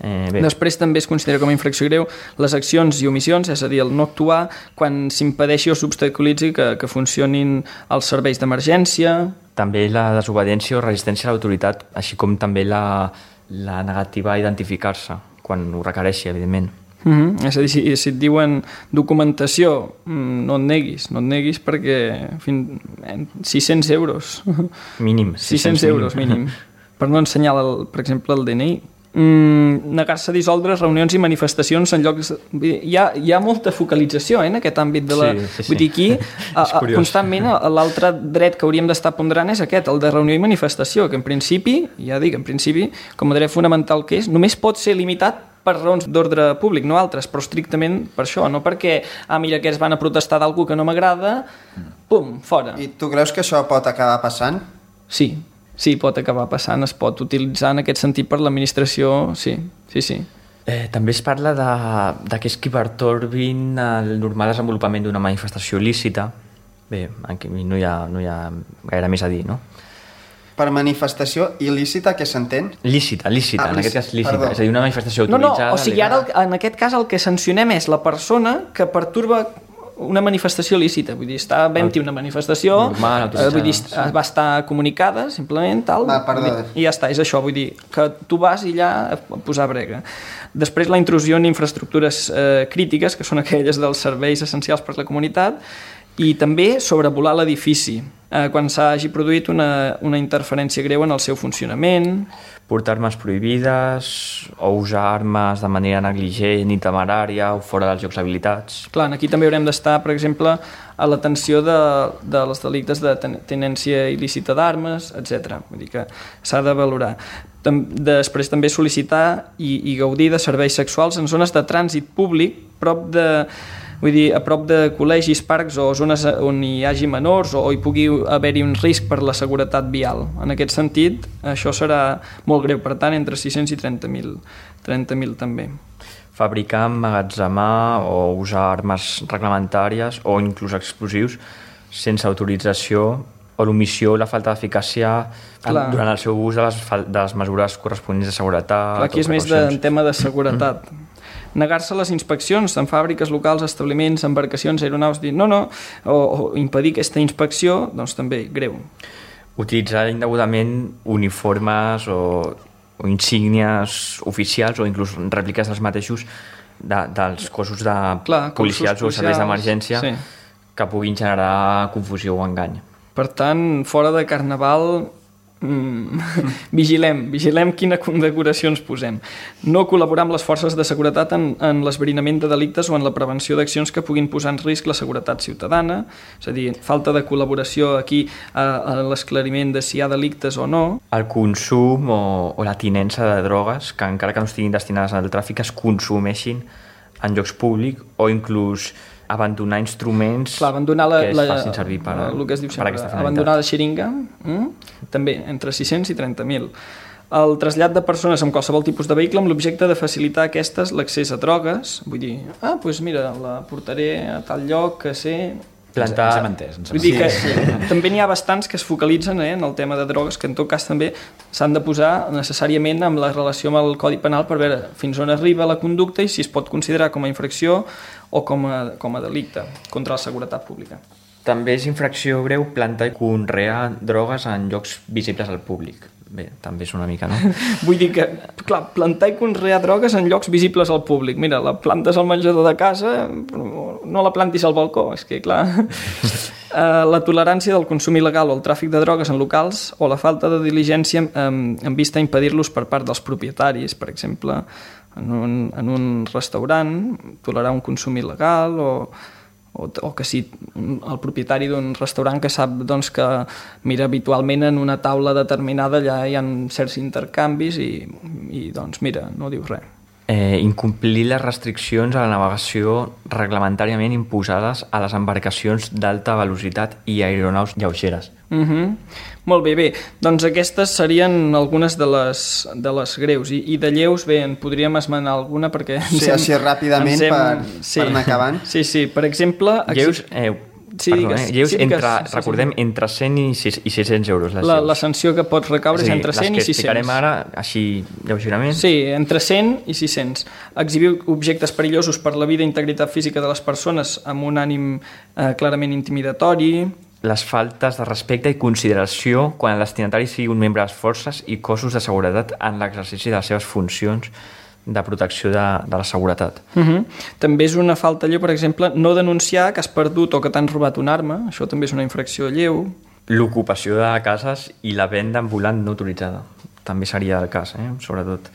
Eh, bé. Després també es considera com a infracció greu les accions i omissions, és a dir, el no actuar quan s'impedeixi o s'obstaculitzi que, que funcionin els serveis d'emergència. També la desobediència o resistència a l'autoritat, així com també la, la negativa a identificar-se, quan ho requereixi, evidentment. Mm-hmm. És a dir, si, si et diuen documentació, no et neguis, no et neguis perquè fin, sis-cents euros. Mínim. sis-cents euros mínim. Per no ensenyar, el, per exemple, el D N I. Mm, negar-se a dissoldre reunions i manifestacions en llocs... Hi ha, hi ha molta focalització eh, en aquest àmbit de la... Sí, sí, sí. Vull dir, aquí a, a, constantment l'altre dret que hauríem d'estar ponderant és aquest, el de reunió i manifestació, que en principi, ja dic, en principi, com a dret fonamental que és, només pot ser limitat per raons d'ordre públic, no altres, però estrictament per això, no perquè, ah, mira, aquests van a protestar d'algú que no m'agrada, pum, fora. I tu creus que això pot acabar passant? Sí, sí, pot acabar passant, es pot utilitzar en aquest sentit per l'administració, sí, sí, sí. Eh, també es parla de, de que és qui pertorbin el normal desenvolupament d'una manifestació lícita. Bé, aquí no hi ha, no hi ha gaire més a dir, no? Per manifestació il·lícita, què s'entén? Lícita, lícita, Ah, en aquest cas lícita. perdó. És a dir, una manifestació No, no, autoritzada... o sigui, ara el, en aquest cas el que sancionem és la persona que perturba una manifestació lícita, vull dir, està havent-hi una manifestació, Normal, eh, vull dir, autoritzada, sí. va estar comunicada, simplement, tal, Va, perdó. vull dir, i ja està, és això, vull dir, que tu vas i allà a posar brega. Després la intrusió en infraestructures eh, crítiques, que són aquelles dels serveis essencials per a la comunitat, i també sobrevolar l'edifici, eh, quan s'hagi produït una, una interferència greu en el seu funcionament. portar armes prohibides o usar armes de manera negligent i temerària o fora dels llocs habilitats. Clar, aquí també haurem d'estar, per exemple, a l'atenció de, dels delictes de ten tenència il·lícita d'armes, etcètera. Vull dir que s'ha de valorar. Després també sol·licitar i, i gaudir de serveis sexuals en zones de trànsit públic prop de... Vull dir, a prop de col·legis, parcs o zones on hi hagi menors o hi pugui haver-hi un risc per la seguretat vial. En aquest sentit, això serà molt greu, per tant, entre sis-cents i trenta mil també. Fabricar, emmagatzemar o usar armes reglamentàries o inclús explosius sense autorització o l'omissió o la falta d'eficàcia durant el seu ús de les, de les mesures corresponents de seguretat. Clar, aquí és més de tema de seguretat. Negar-se a les inspeccions en fàbriques locals, establiments, embarcacions, aeronaus, dir no, no, o, o impedir aquesta inspecció, doncs també greu. Utilitzar indegudament uniformes o, o insígnies oficials o inclús rèpliques dels mateixos de, dels cossos de Clar, policials cossos o serveis d'emergència sí. que puguin generar confusió o engany. Per tant, fora de Carnaval, mm, vigilem, vigilem quina condecoració ens posem. No col·laborar amb les forces de seguretat en, en l'esbrinament de delictes o en la prevenció d'accions que puguin posar en risc la seguretat ciutadana, és a dir, falta de col·laboració aquí a, a l'esclariment de si hi ha delictes o no. El consum o, o la tinença de drogues, que encara que no estiguin destinades al tràfic, es consumeixin en llocs públics o inclús abandonar instruments Clar, abandonar la, que es la, facin servir per, el que es diu per sempre, aquesta finalitat. Abandonar la xeringa, mm? també, entre sis-cents i trenta mil. El trasllat de persones amb qualsevol tipus de vehicle amb l'objecte de facilitar a aquestes l'accés a drogues, vull dir, ah, doncs mira, la portaré a tal lloc que sé... Plantar... Ens hem entès, ens hem Vull dir que entès. també n'hi ha bastants que es focalitzen eh, en el tema de drogues, que en tot cas també s'han de posar necessàriament amb la relació amb el Codi Penal per veure fins on arriba la conducta i si es pot considerar com a infracció o com a, com a delicte contra la seguretat pública. També és infracció greu plantar i conrear drogues en llocs visibles al públic. Bé, també és una mica, no? Vull dir que, clar, plantar i conrear drogues en llocs visibles al públic. Mira, la plantes al menjador de casa, no la plantis al balcó, és que, clar... La tolerància del consum il·legal o el tràfic de drogues en locals o la falta de diligència en vista a impedir-los per part dels propietaris, per exemple, en un, en un restaurant, tolerar un consum il·legal o... O, o que si el propietari d'un restaurant que sap doncs, que mira habitualment en una taula determinada allà hi ha certs intercanvis i, i doncs mira, no diu res. Eh, incomplir les restriccions a la navegació reglamentàriament imposades a les embarcacions d'alta velocitat i aeronaus lleugeres. Uh-huh. Molt bé, bé, doncs aquestes serien algunes de les, de les greus i, i de lleus, bé, en podríem esmenar alguna perquè... Sí, hem, així ràpidament hem, per, sí, per anar acabant. Sí, sí, per exemple... Lleus, eh, Sí, Perdó, digues, eh? Lleus sí, entre, digues, sí, recordem, sí. entre cent i sis-cents euros. Les la, la sanció que pot recaure és, és entre cent i sis-cents. Les que explicarem ara, així lleugerament. Sí, entre cent i sis-cents. Exhibir objectes perillosos per la vida i integritat física de les persones amb un ànim eh, clarament intimidatori. Les faltes de respecte i consideració quan el destinatari sigui un membre de les forces i cossos de seguretat en l'exercici de les seves funcions de protecció de, de la seguretat. Uh-huh. També és una falta lleu, per exemple, no denunciar que has perdut o que t'han robat una arma, això també és una infracció lleu. L'ocupació de cases i la venda ambulant no autoritzada. També seria el cas, eh? Sobretot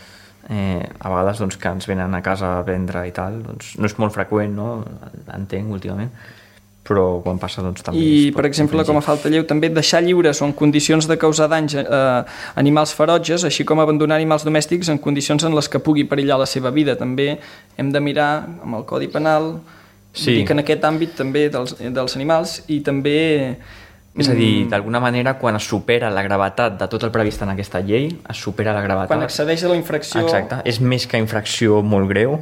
eh, a vegades doncs, que ens venen a casa a vendre i tal, doncs, no és molt freqüent, no? Entenc últimament, però quan passa doncs també... I, per exemple, infringir. Com a falta lleu, també deixar lliures o en condicions de causar danys a eh, animals ferotges, així com abandonar animals domèstics en condicions en les que pugui perillar la seva vida. També hem de mirar amb el Codi Penal, sí. Dir que en aquest àmbit també dels, dels animals i també... És a dir, d'alguna manera, quan es supera la gravetat de tot el previst en aquesta llei, es supera la gravetat... Quan excedeix a la infracció... Exacte, és més que infracció molt greu...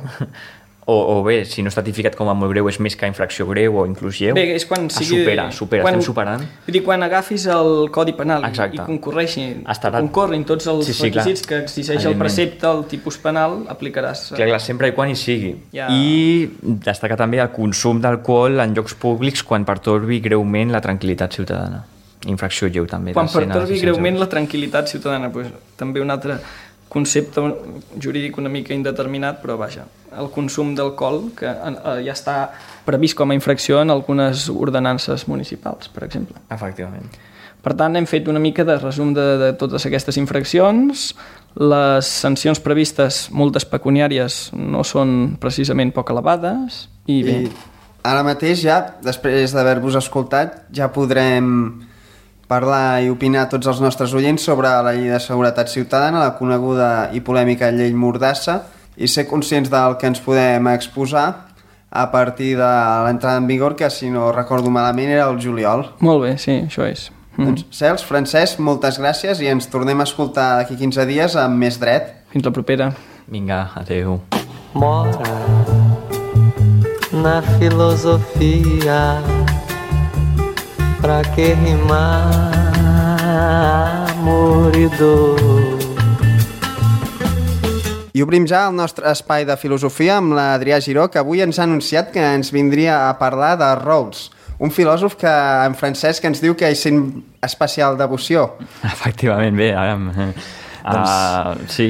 O, o bé, si no està tipificat com a molt greu, és més que infracció greu o inclús lleu. Bé, és quan sigui... Supera, supera, quan, estem superant. Vull dir, quan agafis el Codi Penal Exacte. I concorreixi, Estarà... concorrin tots els sí, sí, requisits clar. Que exigeix el precepte, el tipus penal, aplicaràs... Clar, clar, sempre i quan hi sigui. Ja... I destacar també el consum d'alcohol en llocs públics quan pertorbi greument la tranquil·litat ciutadana. Infracció lleu també. Quan pertorbi greument la tranquil·litat ciutadana, pues, també un altre concepte jurídic una mica indeterminat, però vaja, el consum d'alcohol que ja està previst com a infracció en algunes ordenances municipals, per exemple. Efectivament. Per tant, hem fet una mica de resum de, de totes aquestes infraccions. Les sancions previstes, moltes pecuniàries, no són precisament poc elevades. I bé... I ara mateix ja, després d'haver-vos escoltat, ja podrem parlar i opinar tots els nostres oients sobre la llei de seguretat ciutadana, la coneguda i polèmica llei Mordassa, i ser conscients del que ens podem exposar a partir de l'entrada en vigor, que si no recordo malament era el juliol. Molt bé, sí, això és. Mm. Doncs, Cels, Francesc, moltes gràcies i ens tornem a escoltar d'aquí quinze dies amb més dret. Fins la propera. Vinga, adeu. Mora na filosofia, pra que rimar amor i dor. I obrim ja el nostre espai de filosofia amb l'Adrià Giró, que avui ens ha anunciat que ens vindria a parlar de Rawls, un filòsof que en Francesc ens diu que hi sent especial devoció. Efectivament, bé, ara... Doncs... Uh, sí,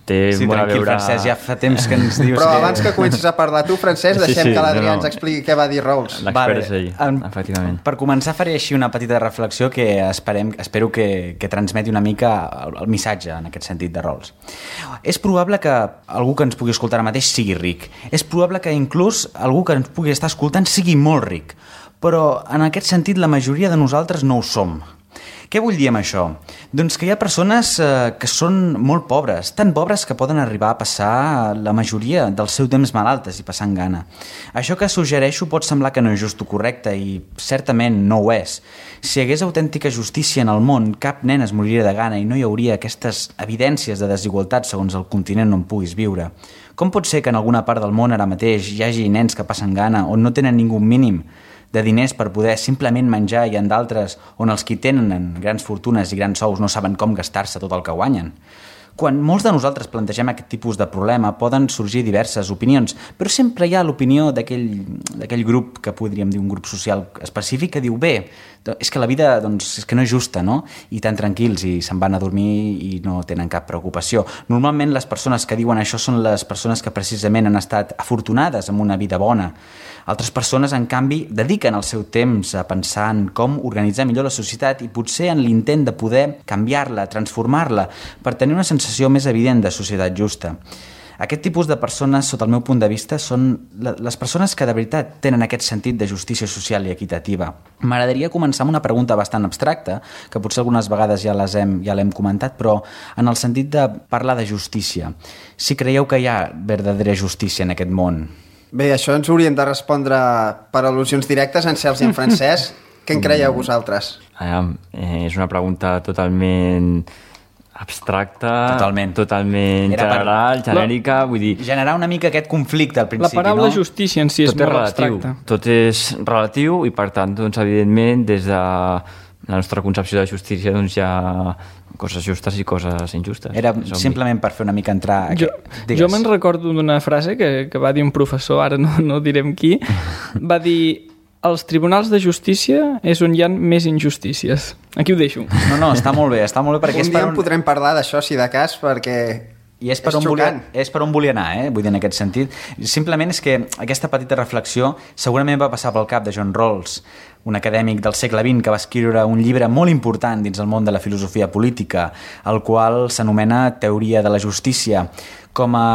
té sí, molt a veure... Francesc, ja fa temps que ens dius Però que... abans que comencis a parlar tu, Francesc, deixem sí, sí, que l'Adrià no, no. ens expliqui què va dir Rawls. L'expert és ell, en, efectivament. Per començar faré així una petita reflexió que esperem, espero que, que transmeti una mica el, el missatge en aquest sentit de Rawls. És probable que algú que ens pugui escoltar ara mateix sigui ric. És probable que inclús algú que ens pugui estar escoltant sigui molt ric. Però en aquest sentit la majoria de nosaltres no ho som. Què vull dir amb això? Doncs que hi ha persones eh, que són molt pobres, tan pobres que poden arribar a passar la majoria del seu temps malaltes i passant gana. Això que suggereixo pot semblar que no és just o correcte i certament no ho és. Si hi hagués autèntica justícia en el món, cap nen es moriria de gana i no hi hauria aquestes evidències de desigualtat segons el continent on puguis viure. Com pot ser que en alguna part del món ara mateix hi hagi nens que passen gana on no tenen ningú mínim de diners per poder simplement menjar i en d'altres on els qui tenen grans fortunes i grans sous no saben com gastar-se tot el que guanyen? Quan molts de nosaltres plantegem aquest tipus de problema poden sorgir diverses opinions, però sempre hi ha l'opinió d'aquell grup que podríem dir un grup social específic que diu bé, és que la vida doncs, és que no és justa, no? I tan tranquils i se'n van a dormir i no tenen cap preocupació. Normalment les persones que diuen això són les persones que precisament han estat afortunades amb una vida bona. Altres persones, en canvi, dediquen el seu temps a pensar en com organitzar millor la societat i potser en l'intent de poder canviar-la, transformar-la, per tenir una sensació més evident de societat justa. Aquest tipus de persones, sota el meu punt de vista, són les persones que de veritat tenen aquest sentit de justícia social i equitativa. M'agradaria començar amb una pregunta bastant abstracta, que potser algunes vegades ja les hem, ja l'hem comentat, però en el sentit de parlar de justícia. Si creieu que hi ha verdadera justícia en aquest món? Bé, això ens haurien de respondre per al·lusions directes en Cels i en Francesc. Què en creieu vosaltres? Ah, eh, és una pregunta totalment abstracta, totalment, totalment general, genèrica, vull dir... Generar una mica aquest conflicte al principi, no? La paraula no? justícia en si és tot molt és relatiu, abstracta. Tot és relatiu i, per tant, doncs, evidentment, des de la nostra concepció de justícia doncs, hi ha coses justes i coses injustes. Era simplement per fer una mica entrar... Jo, jo me'n recordo d'una frase que, que va dir un professor, ara no, no direm qui, va dir... Els tribunals de justícia és on hi ha més injustícies. Aquí ho deixo. No, no, està molt bé, està molt bé perquè... Un és dia per un... podrem parlar d'això, si de cas, perquè... I és per, és, on volia, és per on volia anar, eh? Vull dir, en aquest sentit. Simplement és que aquesta petita reflexió segurament va passar pel cap de John Rawls, un acadèmic del segle vint que va escriure un llibre molt important dins el món de la filosofia política, el qual s'anomena Teoria de la justícia. Com a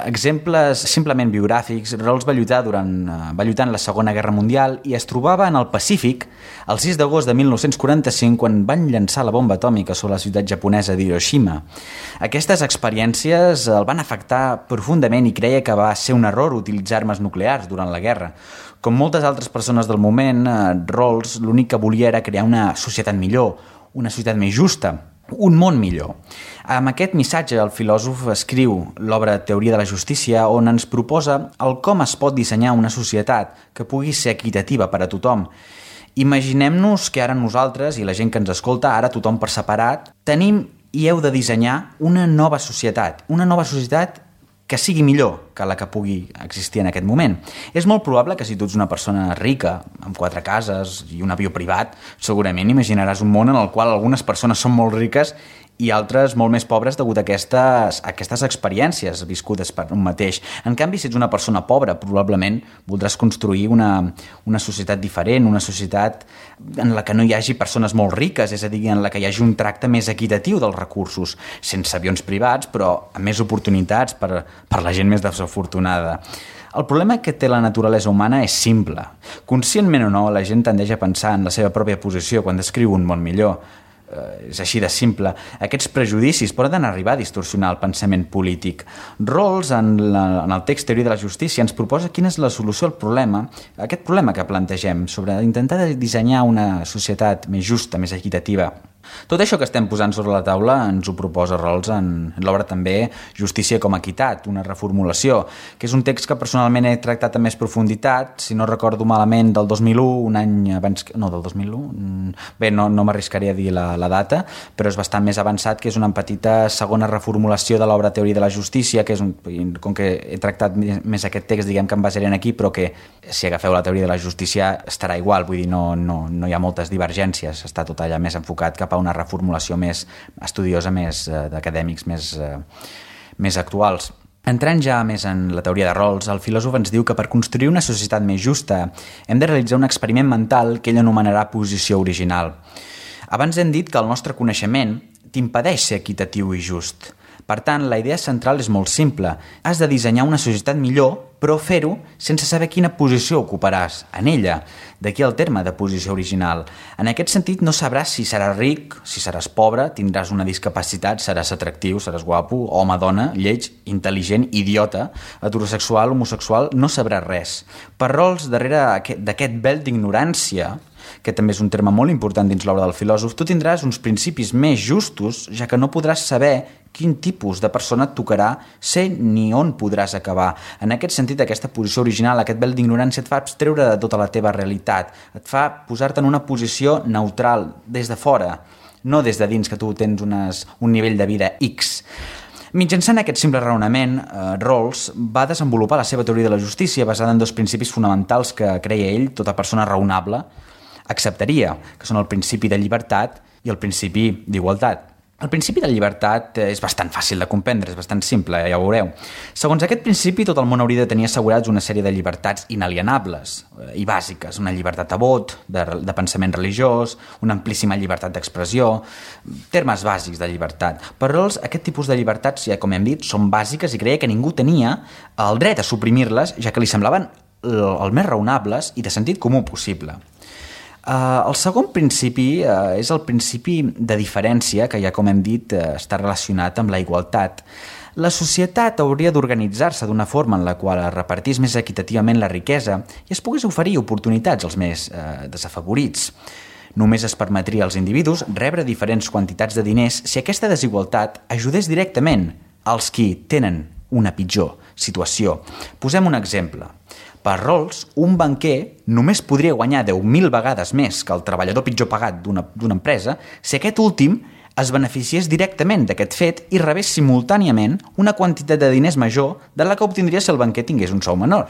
exemples simplement biogràfics, Rawls va lluitar durant va lluitar en la Segona Guerra Mundial i es trobava en el Pacífic el sis d'agost de mil nou-cents quaranta-cinc quan van llançar la bomba atòmica sobre la ciutat japonesa d'Hiroshima. Aquestes experiències el van afectar profundament i creia que va ser un error utilitzar armes nuclears durant la guerra. Com moltes altres persones del moment, Rawls l'únic que volia era crear una societat millor, una societat més justa, un món millor. Amb aquest missatge el filòsof escriu l'obra Teoria de la justícia on ens proposa el com es pot dissenyar una societat que pugui ser equitativa per a tothom. Imaginem-nos que ara nosaltres i la gent que ens escolta, ara tothom per separat, tenim i heu de dissenyar una nova societat, una nova societat que sigui millor, que la que pugui existir en aquest moment. És molt probable que si tu ets una persona rica, amb quatre cases i un avió privat, segurament imaginaràs un món en el qual algunes persones són molt riques i altres molt més pobres degut a aquestes, a aquestes experiències viscudes per un mateix. En canvi, si ets una persona pobra, probablement voldràs construir una, una societat diferent, una societat en la que no hi hagi persones molt riques, és a dir, en la que hi hagi un tracte més equitatiu dels recursos, sense avions privats, però amb més oportunitats per, per la gent més desafortunada. El problema que té la naturalesa humana és simple. Conscientment o no, la gent tendeix a pensar en la seva pròpia posició quan descriu un món millor. Eh, és així de simple. Aquests prejudicis poden arribar a distorsionar el pensament polític. Rawls, en, la, en el text Teoria de la justícia, ens proposa quina és la solució al problema, aquest problema que plantegem, sobre intentar dissenyar una societat més justa, més equitativa. Tot això que estem posant sobre la taula ens ho proposa Rawls en l'obra també Justícia com a equitat, una reformulació, que és un text que personalment he tractat amb més profunditat, si no recordo malament del dos mil u, un any abans... No, del dos mil u? Bé, no, no m'arriscaré a dir la, la data, però és bastant més avançat, que és una petita segona reformulació de l'obra Teoria de la justícia, que és un, com que he tractat més aquest text, diguem que em basaré aquí, però que si agafeu la Teoria de la justícia estarà igual, vull dir, no, no, no hi ha moltes divergències, està tot allà més enfocat cap a una reformulació més estudiosa, més eh, d'acadèmics, més, eh, més actuals. Entrant ja més en la teoria de Rawls, el filòsof ens diu que per construir una societat més justa hem de realitzar un experiment mental que ell anomenarà posició original. Abans hem dit que el nostre coneixement t'impedeix ser equitatiu i just. Per tant, la idea central és molt simple. Has de dissenyar una societat millor, però fer-ho sense saber quina posició ocuparàs en ella. D'aquí el terme de posició original. En aquest sentit, no sabràs si seràs ric, si seràs pobre, tindràs una discapacitat, seràs atractiu, seràs guapo, home, dona, lleig, intel·ligent, idiota, heterosexual, homosexual, no sabràs res. Per Rawls, darrere d'aquest vel d'ignorància, que també és un terme molt important dins l'obra del filòsof, tu tindràs uns principis més justos, ja que no podràs saber quin tipus de persona et tocarà ser ni on podràs acabar. En aquest sentit, aquesta posició original, aquest vel d'ignorància et fa abstreure de tota la teva realitat, et fa posar-te en una posició neutral, des de fora, no des de dins, que tu tens unes, un nivell de vida X. Mitjançant aquest simple raonament, eh, Rawls va desenvolupar la seva teoria de la justícia basada en dos principis fonamentals que creia ell, tota persona raonable acceptaria, que són el principi de llibertat i el principi d'igualtat. El principi de llibertat és bastant fàcil de comprendre, és bastant simple, ja ho veureu. Segons aquest principi, tot el món hauria de tenir assegurats una sèrie de llibertats inalienables i bàsiques, una llibertat de vot, de, de pensament religiós, una amplíssima llibertat d'expressió, termes bàsics de llibertat. Per Rawls, aquest tipus de llibertats, ja com hem dit, són bàsiques i creia que ningú tenia el dret a suprimir-les, ja que li semblaven el més raonables i de sentit comú possible. Uh, el segon principi uh, és el principi de diferència, que ja com hem dit uh, està relacionat amb la igualtat. La societat hauria d'organitzar-se d'una forma en la qual es repartís més equitativament la riquesa i es pogués oferir oportunitats als més uh, desafavorits. Només es permetria als individus rebre diferents quantitats de diners si aquesta desigualtat ajudés directament als qui tenen una pitjor situació. Posem un exemple. Per Rawls, un banquer només podria guanyar deu mil vegades més que el treballador pitjor pagat d'una d'una empresa si aquest últim es beneficiés directament d'aquest fet i rebés simultàniament una quantitat de diners major de la que obtindria si el banquer tingués un sou menor.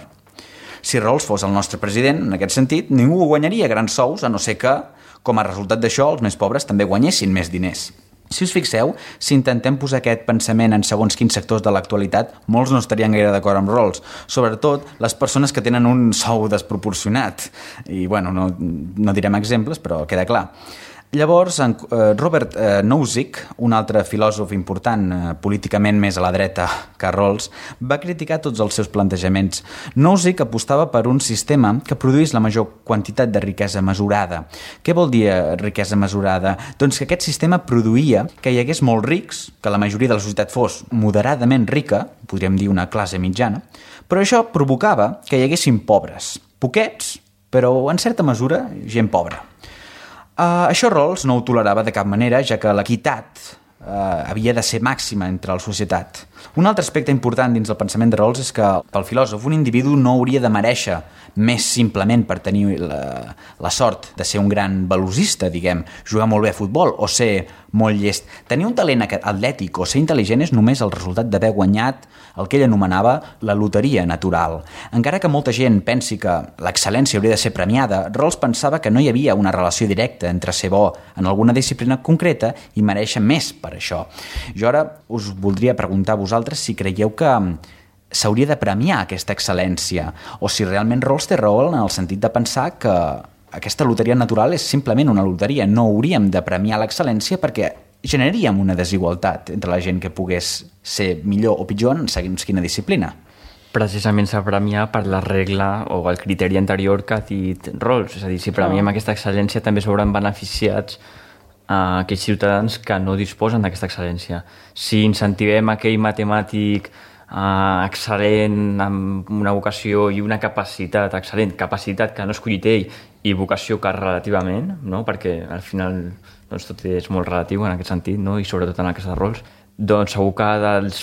Si Rawls fos el nostre president, en aquest sentit, ningú guanyaria grans sous, a no ser que, com a resultat d'això, els més pobres també guanyessin més diners. Si us fixeu, si intentem posar aquest pensament en segons quins sectors de l'actualitat, molts no estarien gaire d'acord amb Rawls, sobretot les persones que tenen un sou desproporcionat. I, bueno, no, no direm exemples, però queda clar. Llavors, en Robert Nozick, un altre filòsof important, políticament més a la dreta que Rawls, va criticar tots els seus plantejaments. Nozick apostava per un sistema que produís la major quantitat de riquesa mesurada. Què vol dir riquesa mesurada? Doncs que aquest sistema produïa que hi hagués molts rics, que la majoria de la societat fos moderadament rica, podríem dir una classe mitjana, però això provocava que hi haguessin pobres. Poquets, però en certa mesura gent pobra. Uh, això Rawls no ho tolerava de cap manera, ja que l'equitat eh, havia de ser màxima entre la societat. Un altre aspecte important dins del pensament de Rawls és que pel filòsof un individu no hauria de merèixer més simplement per tenir la, la sort de ser un gran velocista, diguem, jugar molt bé a futbol o ser molt llest. Tenir un talent atlètic o ser intel·ligent és només el resultat d'haver guanyat el que ell anomenava la loteria natural. Encara que molta gent pensi que l'excel·lència hauria de ser premiada, Rawls pensava que no hi havia una relació directa entre ser bo en alguna disciplina concreta i mereixer més per això. Jo ara us voldria preguntar a vosaltres si creieu que s'hauria de premiar aquesta excel·lència o si realment Rawls té raó en el sentit de pensar que aquesta loteria natural és simplement una loteria. No hauríem de premiar l'excel·lència perquè generaríem una desigualtat entre la gent que pogués ser millor o pitjor en segons quina disciplina. Precisament s'ha premiat per la regla o el criteri anterior que ha dit Rawls. És a dir, si premiem aquesta excel·lència també s'hauran beneficiats a aquells ciutadans que no disposen d'aquesta excel·lència. Si incentivem aquell matemàtic eh, excel·lent amb una vocació i una capacitat excel·lent, capacitat que no ha escollit ell i vocació que relativament, no? Perquè al final doncs, tot és molt relatiu en aquest sentit, no? I sobretot en el cas de Rawls, doncs segur que dels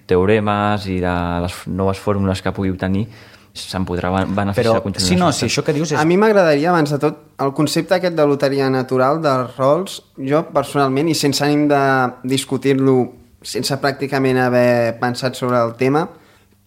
teoremes i de les noves fórmules que pugui obtenir se'n podrà beneficiar Però, continuar. si no, si això que dius és... A mi m'agradaria, abans de tot, el concepte aquest de loteria natural de Rawls, jo personalment, i sense ànim de discutir-lo sense pràcticament haver pensat sobre el tema,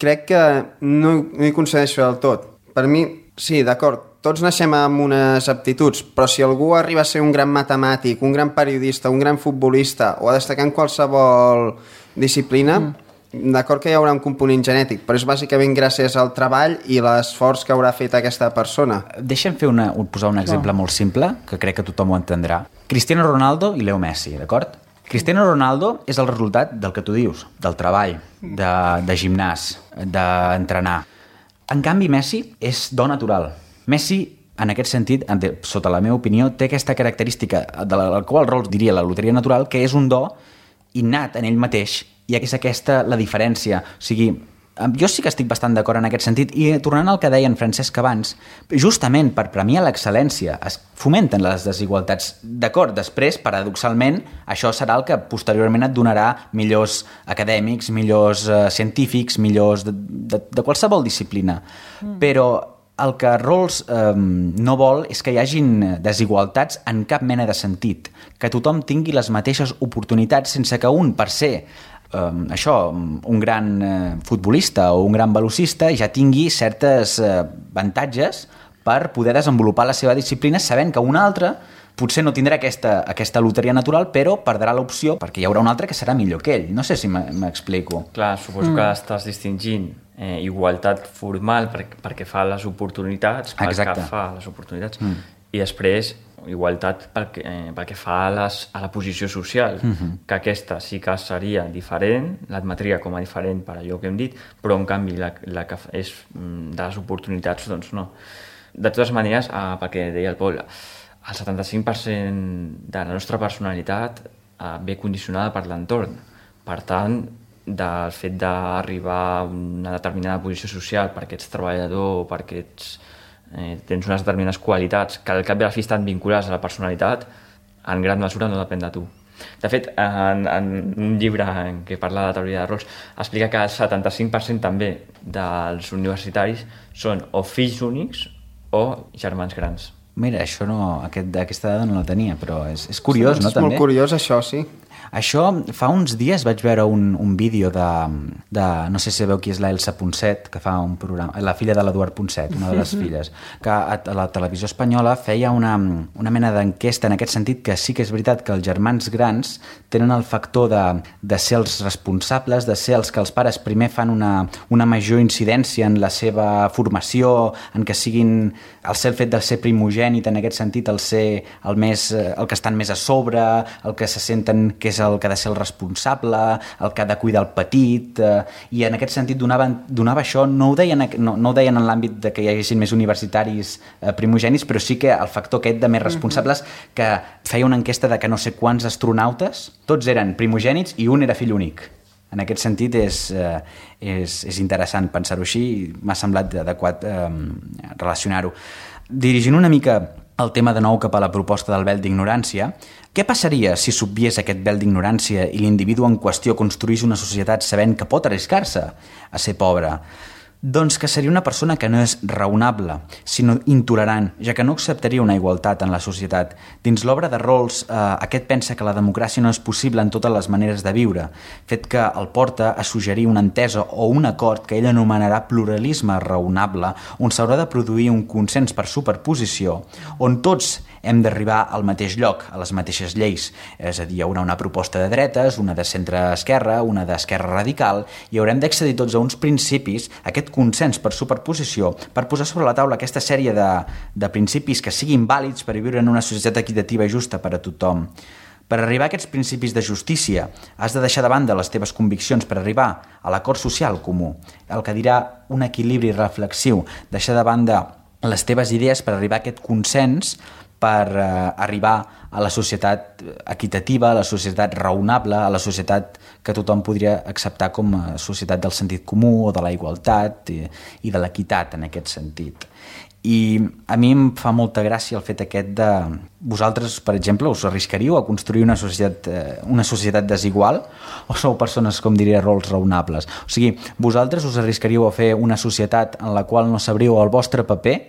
crec que no, no hi concedeixo del tot. Per mi, sí, d'acord, tots naixem amb unes aptituds, però si algú arriba a ser un gran matemàtic, un gran periodista, un gran futbolista o a destacar en qualsevol disciplina, mm. d'acord que hi haurà un component genètic, però és bàsicament gràcies al treball i l'esforç que haurà fet aquesta persona. Deixa'm fer una, posar un exemple oh. molt simple, que crec que tothom ho entendrà. Cristiano Ronaldo i Leo Messi, d'acord? Cristiano Ronaldo és el resultat del que tu dius, del treball, de, de gimnàs, d'entrenar. En canvi, Messi és do natural. Messi, en aquest sentit, sota la meva opinió, té aquesta característica de la qual Rawls diria la loteria natural, que és un do innat en ell mateix, i és aquesta la diferència. O sigui, jo sí que estic bastant d'acord en aquest sentit, i tornant al que deia en Francesc abans, justament per premiar l'excel·lència es fomenten les desigualtats. D'acord, després, paradoxalment, això serà el que posteriorment et donarà millors acadèmics, millors uh, científics, millors de, de, de qualsevol disciplina. Mm. Però el que Rawls eh, no vol és que hi hagin desigualtats en cap mena de sentit, que tothom tingui les mateixes oportunitats sense que un, per ser eh, això, un gran eh, futbolista o un gran velocista, ja tingui certes eh, avantatges per poder desenvolupar la seva disciplina sabent que un altre potser no tindrà aquesta, aquesta loteria natural, però perdrà l'opció perquè hi haurà un altre que serà millor que ell. No sé si m'explico. Clar, suposo mm. que estàs distingint eh, igualtat formal per, perquè fa les oportunitats, pel Exacte. que fa les oportunitats, mm. i després igualtat pel que, eh, pel que fa a, les, a la posició social, mm-hmm. que aquesta sí que seria diferent, l'admetria com a diferent per allò que hem dit, però en canvi la, la que és de les oportunitats, doncs no. De totes maneres, eh, perquè deia el Pol, el setanta-cinc per cent de la nostra personalitat eh, ve condicionada per l'entorn. Per tant, del fet d'arribar a una determinada posició social perquè ets treballador o perquè ets, eh, tens unes determinades qualitats que al cap i a la fi estan vinculades a la personalitat, en gran mesura no depèn de tu. De fet, en, en un llibre en què parla de la teoria de Rawls explica que el setanta-cinc per cent també dels universitaris són o fills únics o germans grans. Mira, això no, aquest, aquesta dada no la tenia, però és, és curiós, sí, no, és també? És molt curiós, això, sí. Això, fa uns dies vaig veure un, un vídeo de, de... No sé si sabeu qui és la Elsa Ponset, que fa un programa... La filla de l'Eduard Ponset, una de les filles, que a, a la televisió espanyola feia una, una mena d'enquesta en aquest sentit, que sí que és veritat que els germans grans tenen el factor de, de ser els responsables, de ser els que els pares primer fan una, una major incidència en la seva formació, en que siguin... El ser el fet de ser primogènit, en aquest sentit, el ser el, més, el que estan més a sobre, el que se senten que és el que ha de ser el responsable, el que ha de cuidar el petit, eh, i en aquest sentit donava, donava això, no ho deien, no, no ho deien en l'àmbit de que hi haguessin més universitaris eh, primogènits, però sí que el factor aquest de més responsables, que feia una enquesta de que no sé quants astronautes, tots eren primogènits i un era fill únic. En aquest sentit és, eh, és, és interessant pensar-ho així i m'ha semblat adequat eh, relacionar-ho. Dirigint una mica el tema de nou cap a la proposta del vel d'ignorància, què passaria si s'obviés aquest vel d'ignorància i l'individu en qüestió construís una societat sabent que pot arriscar-se a ser pobre? Doncs que seria una persona que no és raonable, sinó intolerant, ja que no acceptaria una igualtat en la societat. Dins l'obra de Rawls, eh, aquest pensa que la democràcia no és possible en totes les maneres de viure, fet que el porta a suggerir una entesa o un acord que ell anomenarà pluralisme raonable, on s'haurà de produir un consens per superposició, on tots hem d'arribar al mateix lloc, a les mateixes lleis. És a dir, hi haurà una proposta de dretes, una de centre-esquerra, una d'esquerra radical, i haurem d'accedir tots a uns principis, aquest consens per superposició, per posar sobre la taula aquesta sèrie de, de principis que siguin vàlids per viure en una societat equitativa i justa per a tothom. Per arribar a aquests principis de justícia, has de deixar de banda les teves conviccions per arribar a l'acord social comú, el que dirà un equilibri reflexiu, deixar de banda les teves idees per arribar a aquest consens, per eh, arribar a la societat equitativa, a la societat raonable, a la societat que tothom podria acceptar com a societat del sentit comú o de la igualtat i, i de l'equitat en aquest sentit. I a mi em fa molta gràcia el fet aquest de... Vosaltres, per exemple, us arriscaríeu a construir una societat, eh, una societat desigual o sou persones, com diria Rawls, raonables? O sigui, vosaltres us arriscaríeu a fer una societat en la qual no sabríeu el vostre paper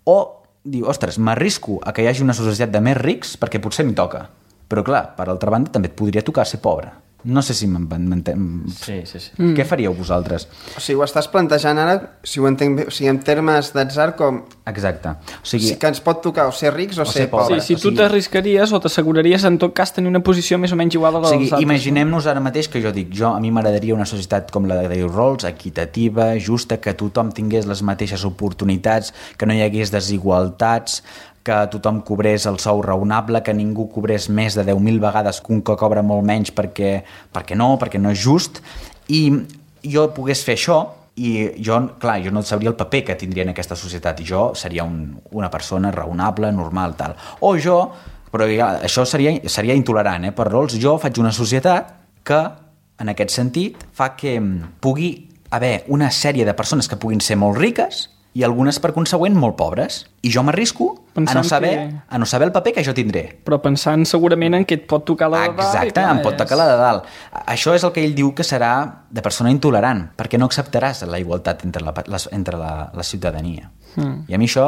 o diu, ostres, m'arrisco a que hi hagi una societat de més rics perquè potser m'hi toca. Però clar, per altra banda, també et podria tocar ser pobre. No sé si m'entenc... Sí, sí, sí. Mm. Què faríeu vosaltres? O sigui, ho estàs plantejant ara, si ho entenc bé, o sigui, en termes d'atzar com... Exacte. O sigui, sí que ens pot tocar o ser rics o, o ser, ser pobres. Sí, si tu o sigui... t'arriscaries o t'asseguraries en tot cas tenir una posició més o menys igual a la o sigui, dels altres. Imaginem-nos ara mateix que jo dic, jo a mi m'agradaria una societat com la de Dale Rawls, equitativa, justa, que tothom tingués les mateixes oportunitats, que no hi hagués desigualtats, que tothom cobrés el sou raonable, que ningú cobrés més de deu mil vegades que un que cobra molt menys perquè, perquè no, perquè no és just, i jo pogués fer això, i jo, clar, jo no sabria el paper que tindria en aquesta societat, i jo seria un, una persona raonable, normal, tal. O jo, però ja, això seria, seria intolerant, eh, per Rawls, jo faig una societat que, en aquest sentit, fa que pugui haver una sèrie de persones que puguin ser molt riques i algunes, per consegüent, molt pobres. I jo m'arrisco a no saber, que... a no saber el paper que jo tindré. Però pensant segurament en què et pot tocar la de dalt. Exacte, clar, em pot és... tocar la de dalt. Això és el que ell diu que serà de persona intolerant, perquè no acceptaràs la igualtat entre la, la, entre la, la ciutadania. Mm. I a mi això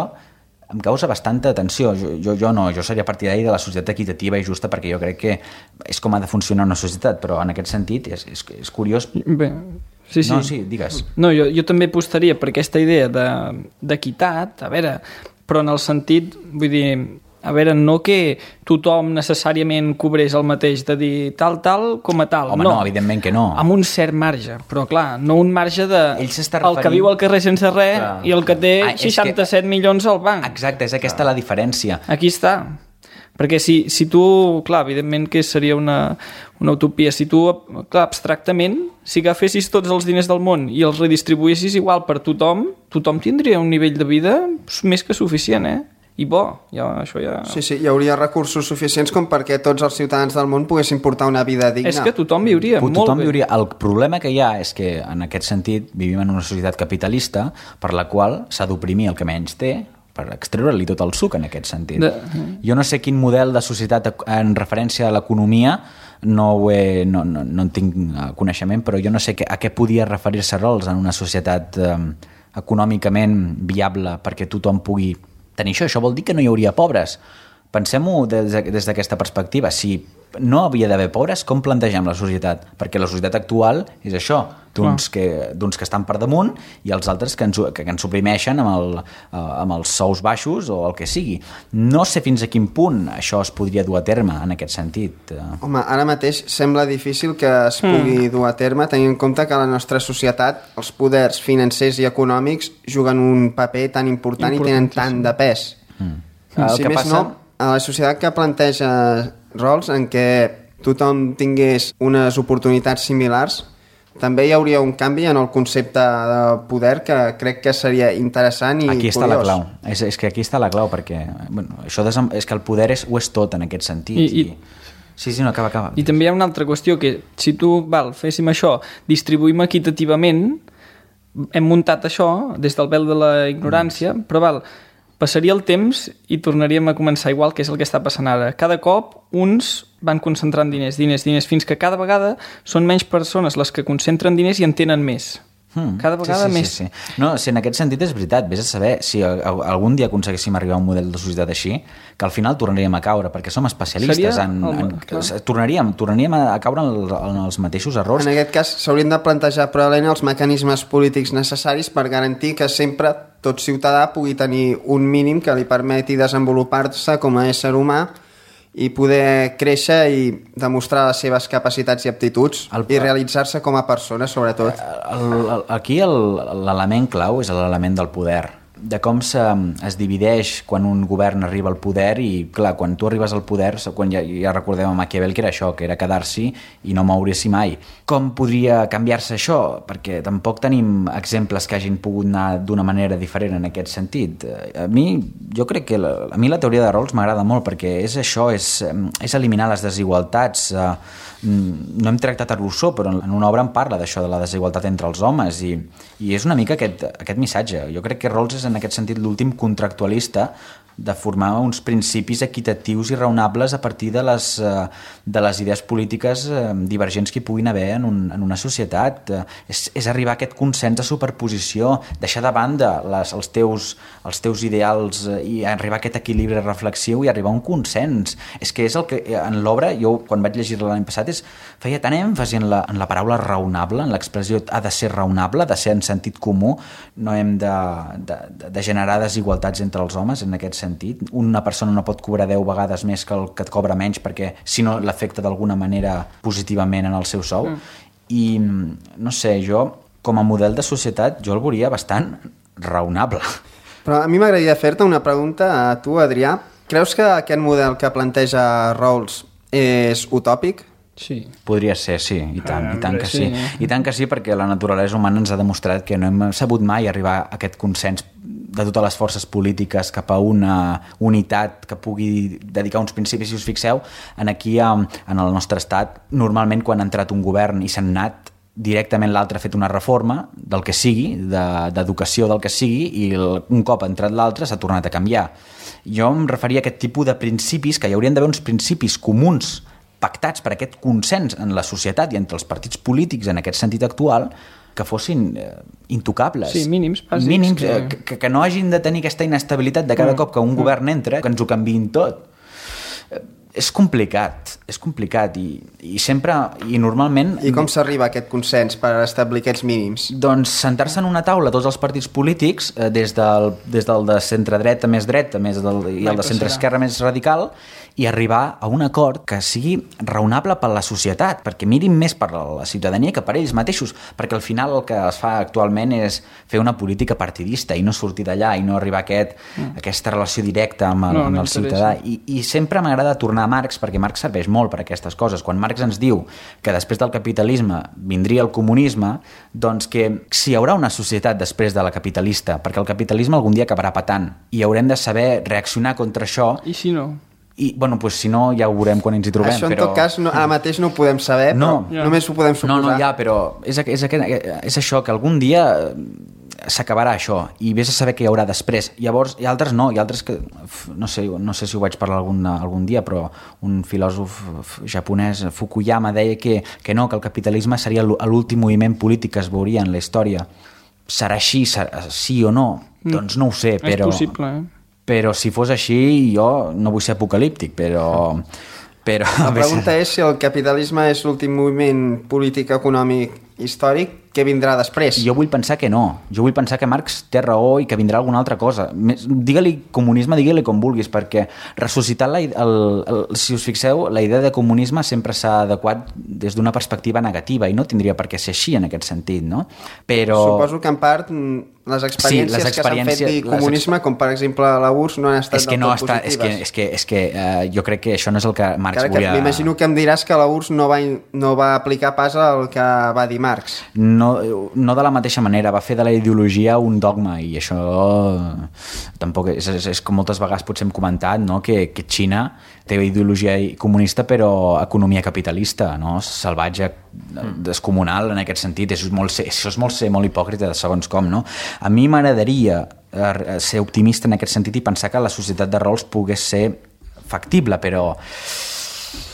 em causa bastanta atenció. Jo, jo, jo no, jo seria partidari de la societat equitativa i justa perquè jo crec que és com ha de funcionar una societat, però en aquest sentit és, és, és curiós... Bé... Sí, sí. No, sí, digues. No, jo, jo també apostaria per aquesta idea d'equitat, de, a veure, però en el sentit, vull dir, a veure, no que tothom necessàriament cobrés el mateix, de dir tal, tal, com a tal. Home, no, no evidentment que no. Amb un cert marge, però clar, no un marge de Ell s'està referint... el que viu al carrer sense res clar. I el que té ah, seixanta-set que... milions al banc. Exacte, és aquesta clar. La diferència. Aquí està. Perquè si, si tu, clar, evidentment que seria una, una utopia, si tu, clar, abstractament, si agafessis tots els diners del món i els redistribuïssis igual per tothom, tothom tindria un nivell de vida més que suficient, eh? I bo, ja, això ja... Sí, sí, hi hauria recursos suficients com perquè tots els ciutadans del món poguessin portar una vida digna. És que tothom viuria tothom molt bé. Viuria. El problema que hi ha és que, en aquest sentit, vivim en una societat capitalista per la qual s'ha d'oprimir el que menys té, per extreure-li tot el suc en aquest sentit. De... Jo no sé quin model de societat en referència a l'economia, no, ho he, no, no, no en tinc coneixement, però jo no sé a què podia referir-se Rawls en una societat eh, econòmicament viable perquè tothom pugui tenir això. Això vol dir que no hi hauria pobres. Pensem-ho des, des d'aquesta perspectiva. Si no havia d'haver pobres, com plantegem la societat? Perquè la societat actual és això, d'uns que, d'uns que estan per damunt i els altres que ens, que ens suprimeixen amb, el, amb els sous baixos o el que sigui. No sé fins a quin punt això es podria dur a terme en aquest sentit. Home, ara mateix sembla difícil que es pugui mm. dur a terme tenint en compte que a la nostra societat els poders financers i econòmics juguen un paper tan important, important i tenen tant de pes. Mm. El si que més passa... no, a la societat que planteja Rawls en què tothom tingués unes oportunitats similars, també hi hauria un canvi en el concepte de poder que crec que seria interessant i aquí curiós. Està la clau. És, és que aquí està la clau perquè bueno, això desem... és que el poder és, ho és tot en aquest sentit. I, i... Sí, sí, no, acaba, acaba. I també hi ha una altra qüestió que si tu, val, féssim això, distribuïm equitativament, hem muntat això des del vel de la ignorància, mm. però val, passaria el temps i tornaríem a començar igual, que és el que està passant ara. Cada cop uns van concentrant diners, diners, diners, fins que cada vegada són menys persones les que concentren diners i en tenen més. Hmm. Cada vegada sí, sí, més. Sí, sí. No, si en aquest sentit és veritat, vés a saber si algun dia aconseguíssim arribar a un model de societat així, que al final tornaríem a caure, perquè som especialistes en... en, en tornaríem, tornaríem a caure en, en els mateixos errors. En aquest cas s'haurien de plantejar probablement els mecanismes polítics necessaris per garantir que sempre tot ciutadà pugui tenir un mínim que li permeti desenvolupar-se com a ésser humà i poder créixer i demostrar les seves capacitats i aptituds el, i realitzar-se com a persona, sobretot. El, el, aquí l'element clau és l'element del poder, de com se, es divideix quan un govern arriba al poder i, clar, quan tu arribes al poder, quan ja, ja recordem a Maquiavel que era això, que era quedar-s'hi i no moure's mai. Com podria canviar-se això? Perquè tampoc tenim exemples que hagin pogut anar d'una manera diferent en aquest sentit. A mi, jo crec que la, a mi la teoria de rols m'agrada molt perquè és això, és, és eliminar les desigualtats. No hem tractat a Rousseau, però en una obra en parla d'això, de la desigualtat entre els homes i, i és una mica aquest, aquest missatge. Jo crec que Rawls és en aquest sentit l'últim contractualista de formar uns principis equitatius i raonables a partir de les, de les idees polítiques divergents que hi puguin haver en, un, en una societat. És, és arribar a aquest consens de superposició, deixar de banda les, els, teus, els teus ideals i arribar a aquest equilibri reflexiu i arribar a un consens. És que és el que en l'obra, jo quan vaig llegir-la l'any passat, és, feia tant èmfasi en la, en la paraula raonable, en l'expressió ha de ser raonable, ha de ser en sentit comú, no hem de, de, de generar desigualtats entre els homes en aquest sentit. Una persona no pot cobrar deu vegades més que el que et cobra menys perquè si no l'afecta d'alguna manera positivament en el seu sou. Mm. I no sé, jo com a model de societat jo el veuria bastant raonable. Però a mi m'agradaria fer-te una pregunta a tu, Adrià. Creus que aquest model que planteja Rawls és utòpic? Sí. Podria ser, sí, i tant, ah, i tant que sí. sí. I tant que sí, perquè la naturalesa humana ens ha demostrat que no hem sabut mai arribar a aquest consens de totes les forces polítiques cap a una unitat que pugui dedicar uns principis. Si us fixeu, en aquí, en el nostre estat, normalment quan ha entrat un govern i s'han anat, directament l'altre ha fet una reforma del que sigui, d'educació del que sigui, i un cop ha entrat l'altre s'ha tornat a canviar. Jo em referia a aquest tipus de principis, que hi haurien d'haver uns principis comuns pactats per aquest consens en la societat i entre els partits polítics en aquest sentit actual, que fossin eh, intocables. Sí, mínims, bàsics. Mínims, eh, que, que no hagin de tenir aquesta inestabilitat de cada mm. cop que un mm. govern entra, que ens ho canviïn tot. Eh, és complicat, és complicat i, i sempre, i normalment... I com s'arriba a aquest consens per establir aquests mínims? Doncs sentar-se en una taula tots els partits polítics, eh, des, del, des del de centre-dreta més dreta més del, i el de centre-esquerra més radical, i arribar a un acord que sigui raonable per la societat, perquè mirin més per la ciutadania que per ells mateixos, perquè al final el que es fa actualment és fer una política partidista i no sortir d'allà i no arribar a aquest, mm. aquesta relació directa amb el, no, amb el ciutadà. I, I sempre m'agrada tornar a Marx, perquè Marx serveix molt per aquestes coses. Quan Marx ens diu que després del capitalisme vindria el comunisme, doncs que si hi haurà una societat després de la capitalista, perquè el capitalisme algun dia acabarà patant i haurem de saber reaccionar contra això. I si no? I, bueno, pues, si no, ja ho veurem quan ens hi trobem. Això, en però... tot cas, no, ara mateix no ho podem saber, no, però ja. només ho podem suposar. No, no, ja, però és, és, és això, que algun dia s'acabarà això, i vés a saber què hi haurà després. Llavors, hi ha altres no, hi ha altres que... No sé, no sé si ho vaig parlar algun, algun dia, però un filòsof japonès, Fukuyama, deia que, que no, que el capitalisme seria l'últim moviment polític que es veuria en la història. Serà així, serà, sí o no? Mm. Doncs no ho sé, però... És possible, eh? Però si fos així, jo no vull ser apocalíptic, però... però la pregunta és si el capitalisme és l'últim moviment polític econòmic històric, què vindrà després? Jo vull pensar que no. Jo vull pensar que Marx té raó i que vindrà alguna altra cosa. Digue-li comunisme, digue-li com vulguis, perquè ressuscitar, la, el, el, si us fixeu, la idea de comunisme sempre s'ha adequat des d'una perspectiva negativa i no tindria per què ser així en aquest sentit, no? Però... Suposo que en part les experiències, sí, les experiències que s'han fet de comunisme, les... com per exemple la U R S S, no han estat és que del no tot està, positives. És que, és que, és que uh, jo crec que això no és el que Marx Cara, volia... M'imagino que em diràs que la U R S S no va, no va aplicar pas el que va dir Marx. No, no de la mateixa manera, va fer de la ideologia un dogma i això tampoc és, és, és com moltes vegades potser hem comentat, no? que, que Xina té ideologia comunista però economia capitalista, no? Salvatge, descomunal en aquest sentit. És molt, això és molt ser molt hipòcrita de segons com, no? A mi m'agradaria eh, ser optimista en aquest sentit i pensar que la societat de rols pogués ser factible, però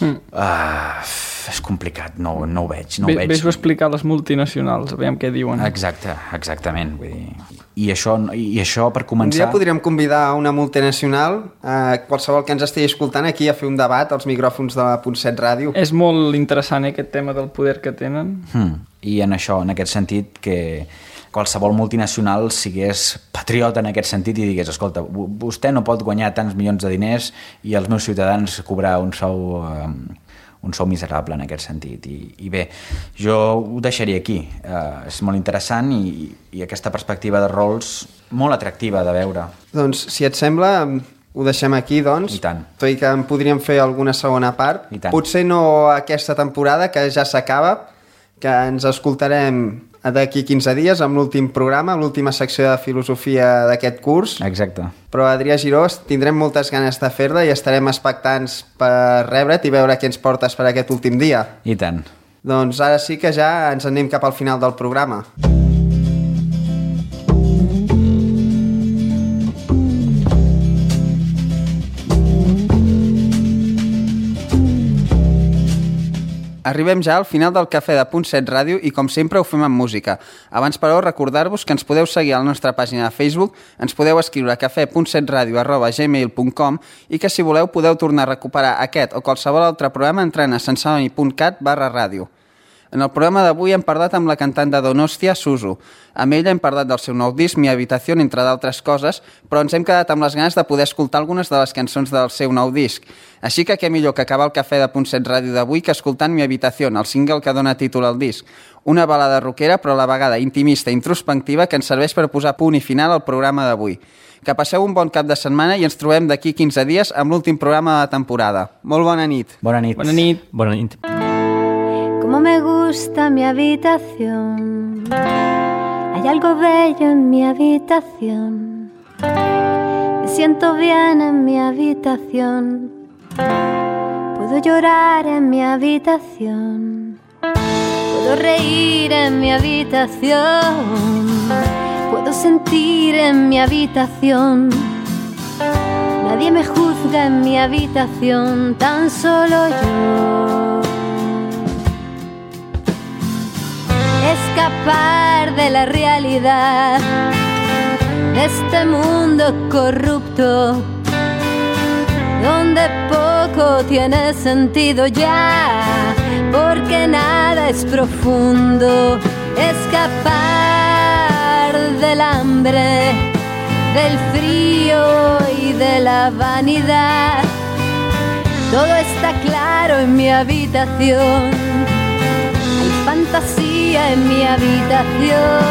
mm. uh, és complicat, no, no ho veig. No ho veig. Ves-ho explicar a les multinacionals, aviam què diuen. Exacte, exactament. Vull dir. I, això, I això, per començar... Un dia podríem convidar una multinacional, eh, qualsevol que ens estigui escoltant aquí, a fer un debat als micròfons de la Punt set Ràdio. És molt interessant, eh, aquest tema del poder que tenen. Mm. I en això, en aquest sentit, que qualsevol multinacional sigués patriota en aquest sentit i digués, escolta, vostè no pot guanyar tants milions de diners i els meus ciutadans cobrar un sou... Eh, un sou miserable en aquest sentit. I, i bé, jo ho deixaria aquí. Uh, és molt interessant i, i aquesta perspectiva de rols molt atractiva de veure. Doncs, si et sembla, ho deixem aquí, doncs. I tant. Tot i que en podríem fer alguna segona part. I tant. Potser no aquesta temporada, que ja s'acaba, que ens escoltarem d'aquí quinze dies amb l'últim programa, l'última secció de filosofia d'aquest curs. Exacte. Però, Adrià Giró, tindrem moltes ganes de fer-la i estarem expectants per rebre't i veure què ens portes per aquest últim dia. I tant. Doncs ara sí que ja ens anem cap al final del programa. Arribem ja al final del Cafè de Punt set Ràdio i, com sempre, ho fem amb música. Abans, però, recordar-vos que ens podeu seguir a la nostra pàgina de Facebook, ens podeu escriure a cafè punt set ràdio arroba gmail punt com i que, si voleu, podeu tornar a recuperar aquest o qualsevol altre programa entrant a sensoni punt cat barra ràdio. En el programa d'avui hem parlat amb la cantant de Donòstia, Suzu. Amb ella hem parlat del seu nou disc, Mi Habitación, entre d'altres coses, però ens hem quedat amb les ganes de poder escoltar algunes de les cançons del seu nou disc. Així que què millor que acabar el Cafè de Punt set Ràdio d'avui que escoltant Mi Habitación, el single que dona títol al disc. Una balada rockera, però a la vegada intimista i introspectiva que ens serveix per posar punt i final al programa d'avui. Que passeu un bon cap de setmana i ens trobem d'aquí quinze dies amb l'últim programa de la temporada. Molt bona nit. Bona nit. Bona nit. Bona nit. Cómo me gusta mi habitación. Hay algo bello en mi habitación. Me siento bien en mi habitación. Puedo llorar en mi habitación. Puedo reír en mi habitación. Puedo sentir en mi habitación. Nadie me juzga en mi habitación, tan solo yo. Escapar de la realidad, de este mundo corrupto, donde poco tiene sentido ya, porque nada es profundo. Escapar del hambre, del frío y de la vanidad. Todo está claro en mi habitación. Hay fantasía en mi habitación.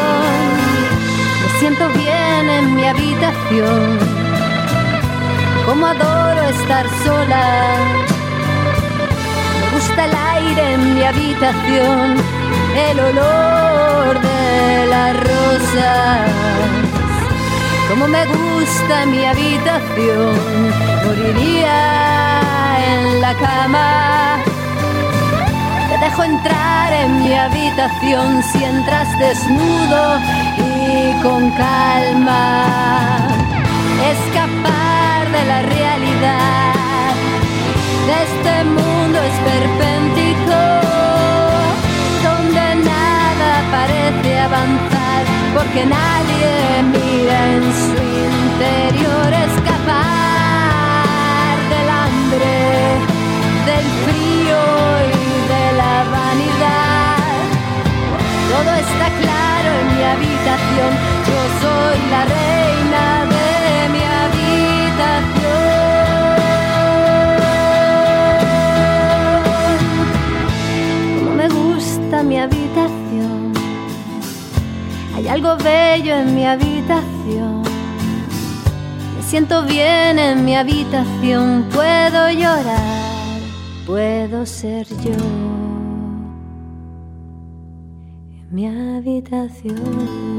Me siento bien en mi habitación. Como adoro estar sola. Me gusta el aire en mi habitación, el olor de las rosas. Como me gusta mi habitación, moriría en la cama. Te dejo entrar en mi habitación si entras desnudo y con calma. Escapar de la realidad, de este mundo esperpéntico, donde nada parece avanzar, porque nadie mira en su interior. Escapar del hambre, del frío y de la vanidad. Todo está claro en mi habitación. Yo soy la reina de mi habitación. Como me gusta mi habitación. Hay algo bello en mi habitación. Me siento bien en mi habitación. Puedo llorar, puedo ser yo en mi habitación.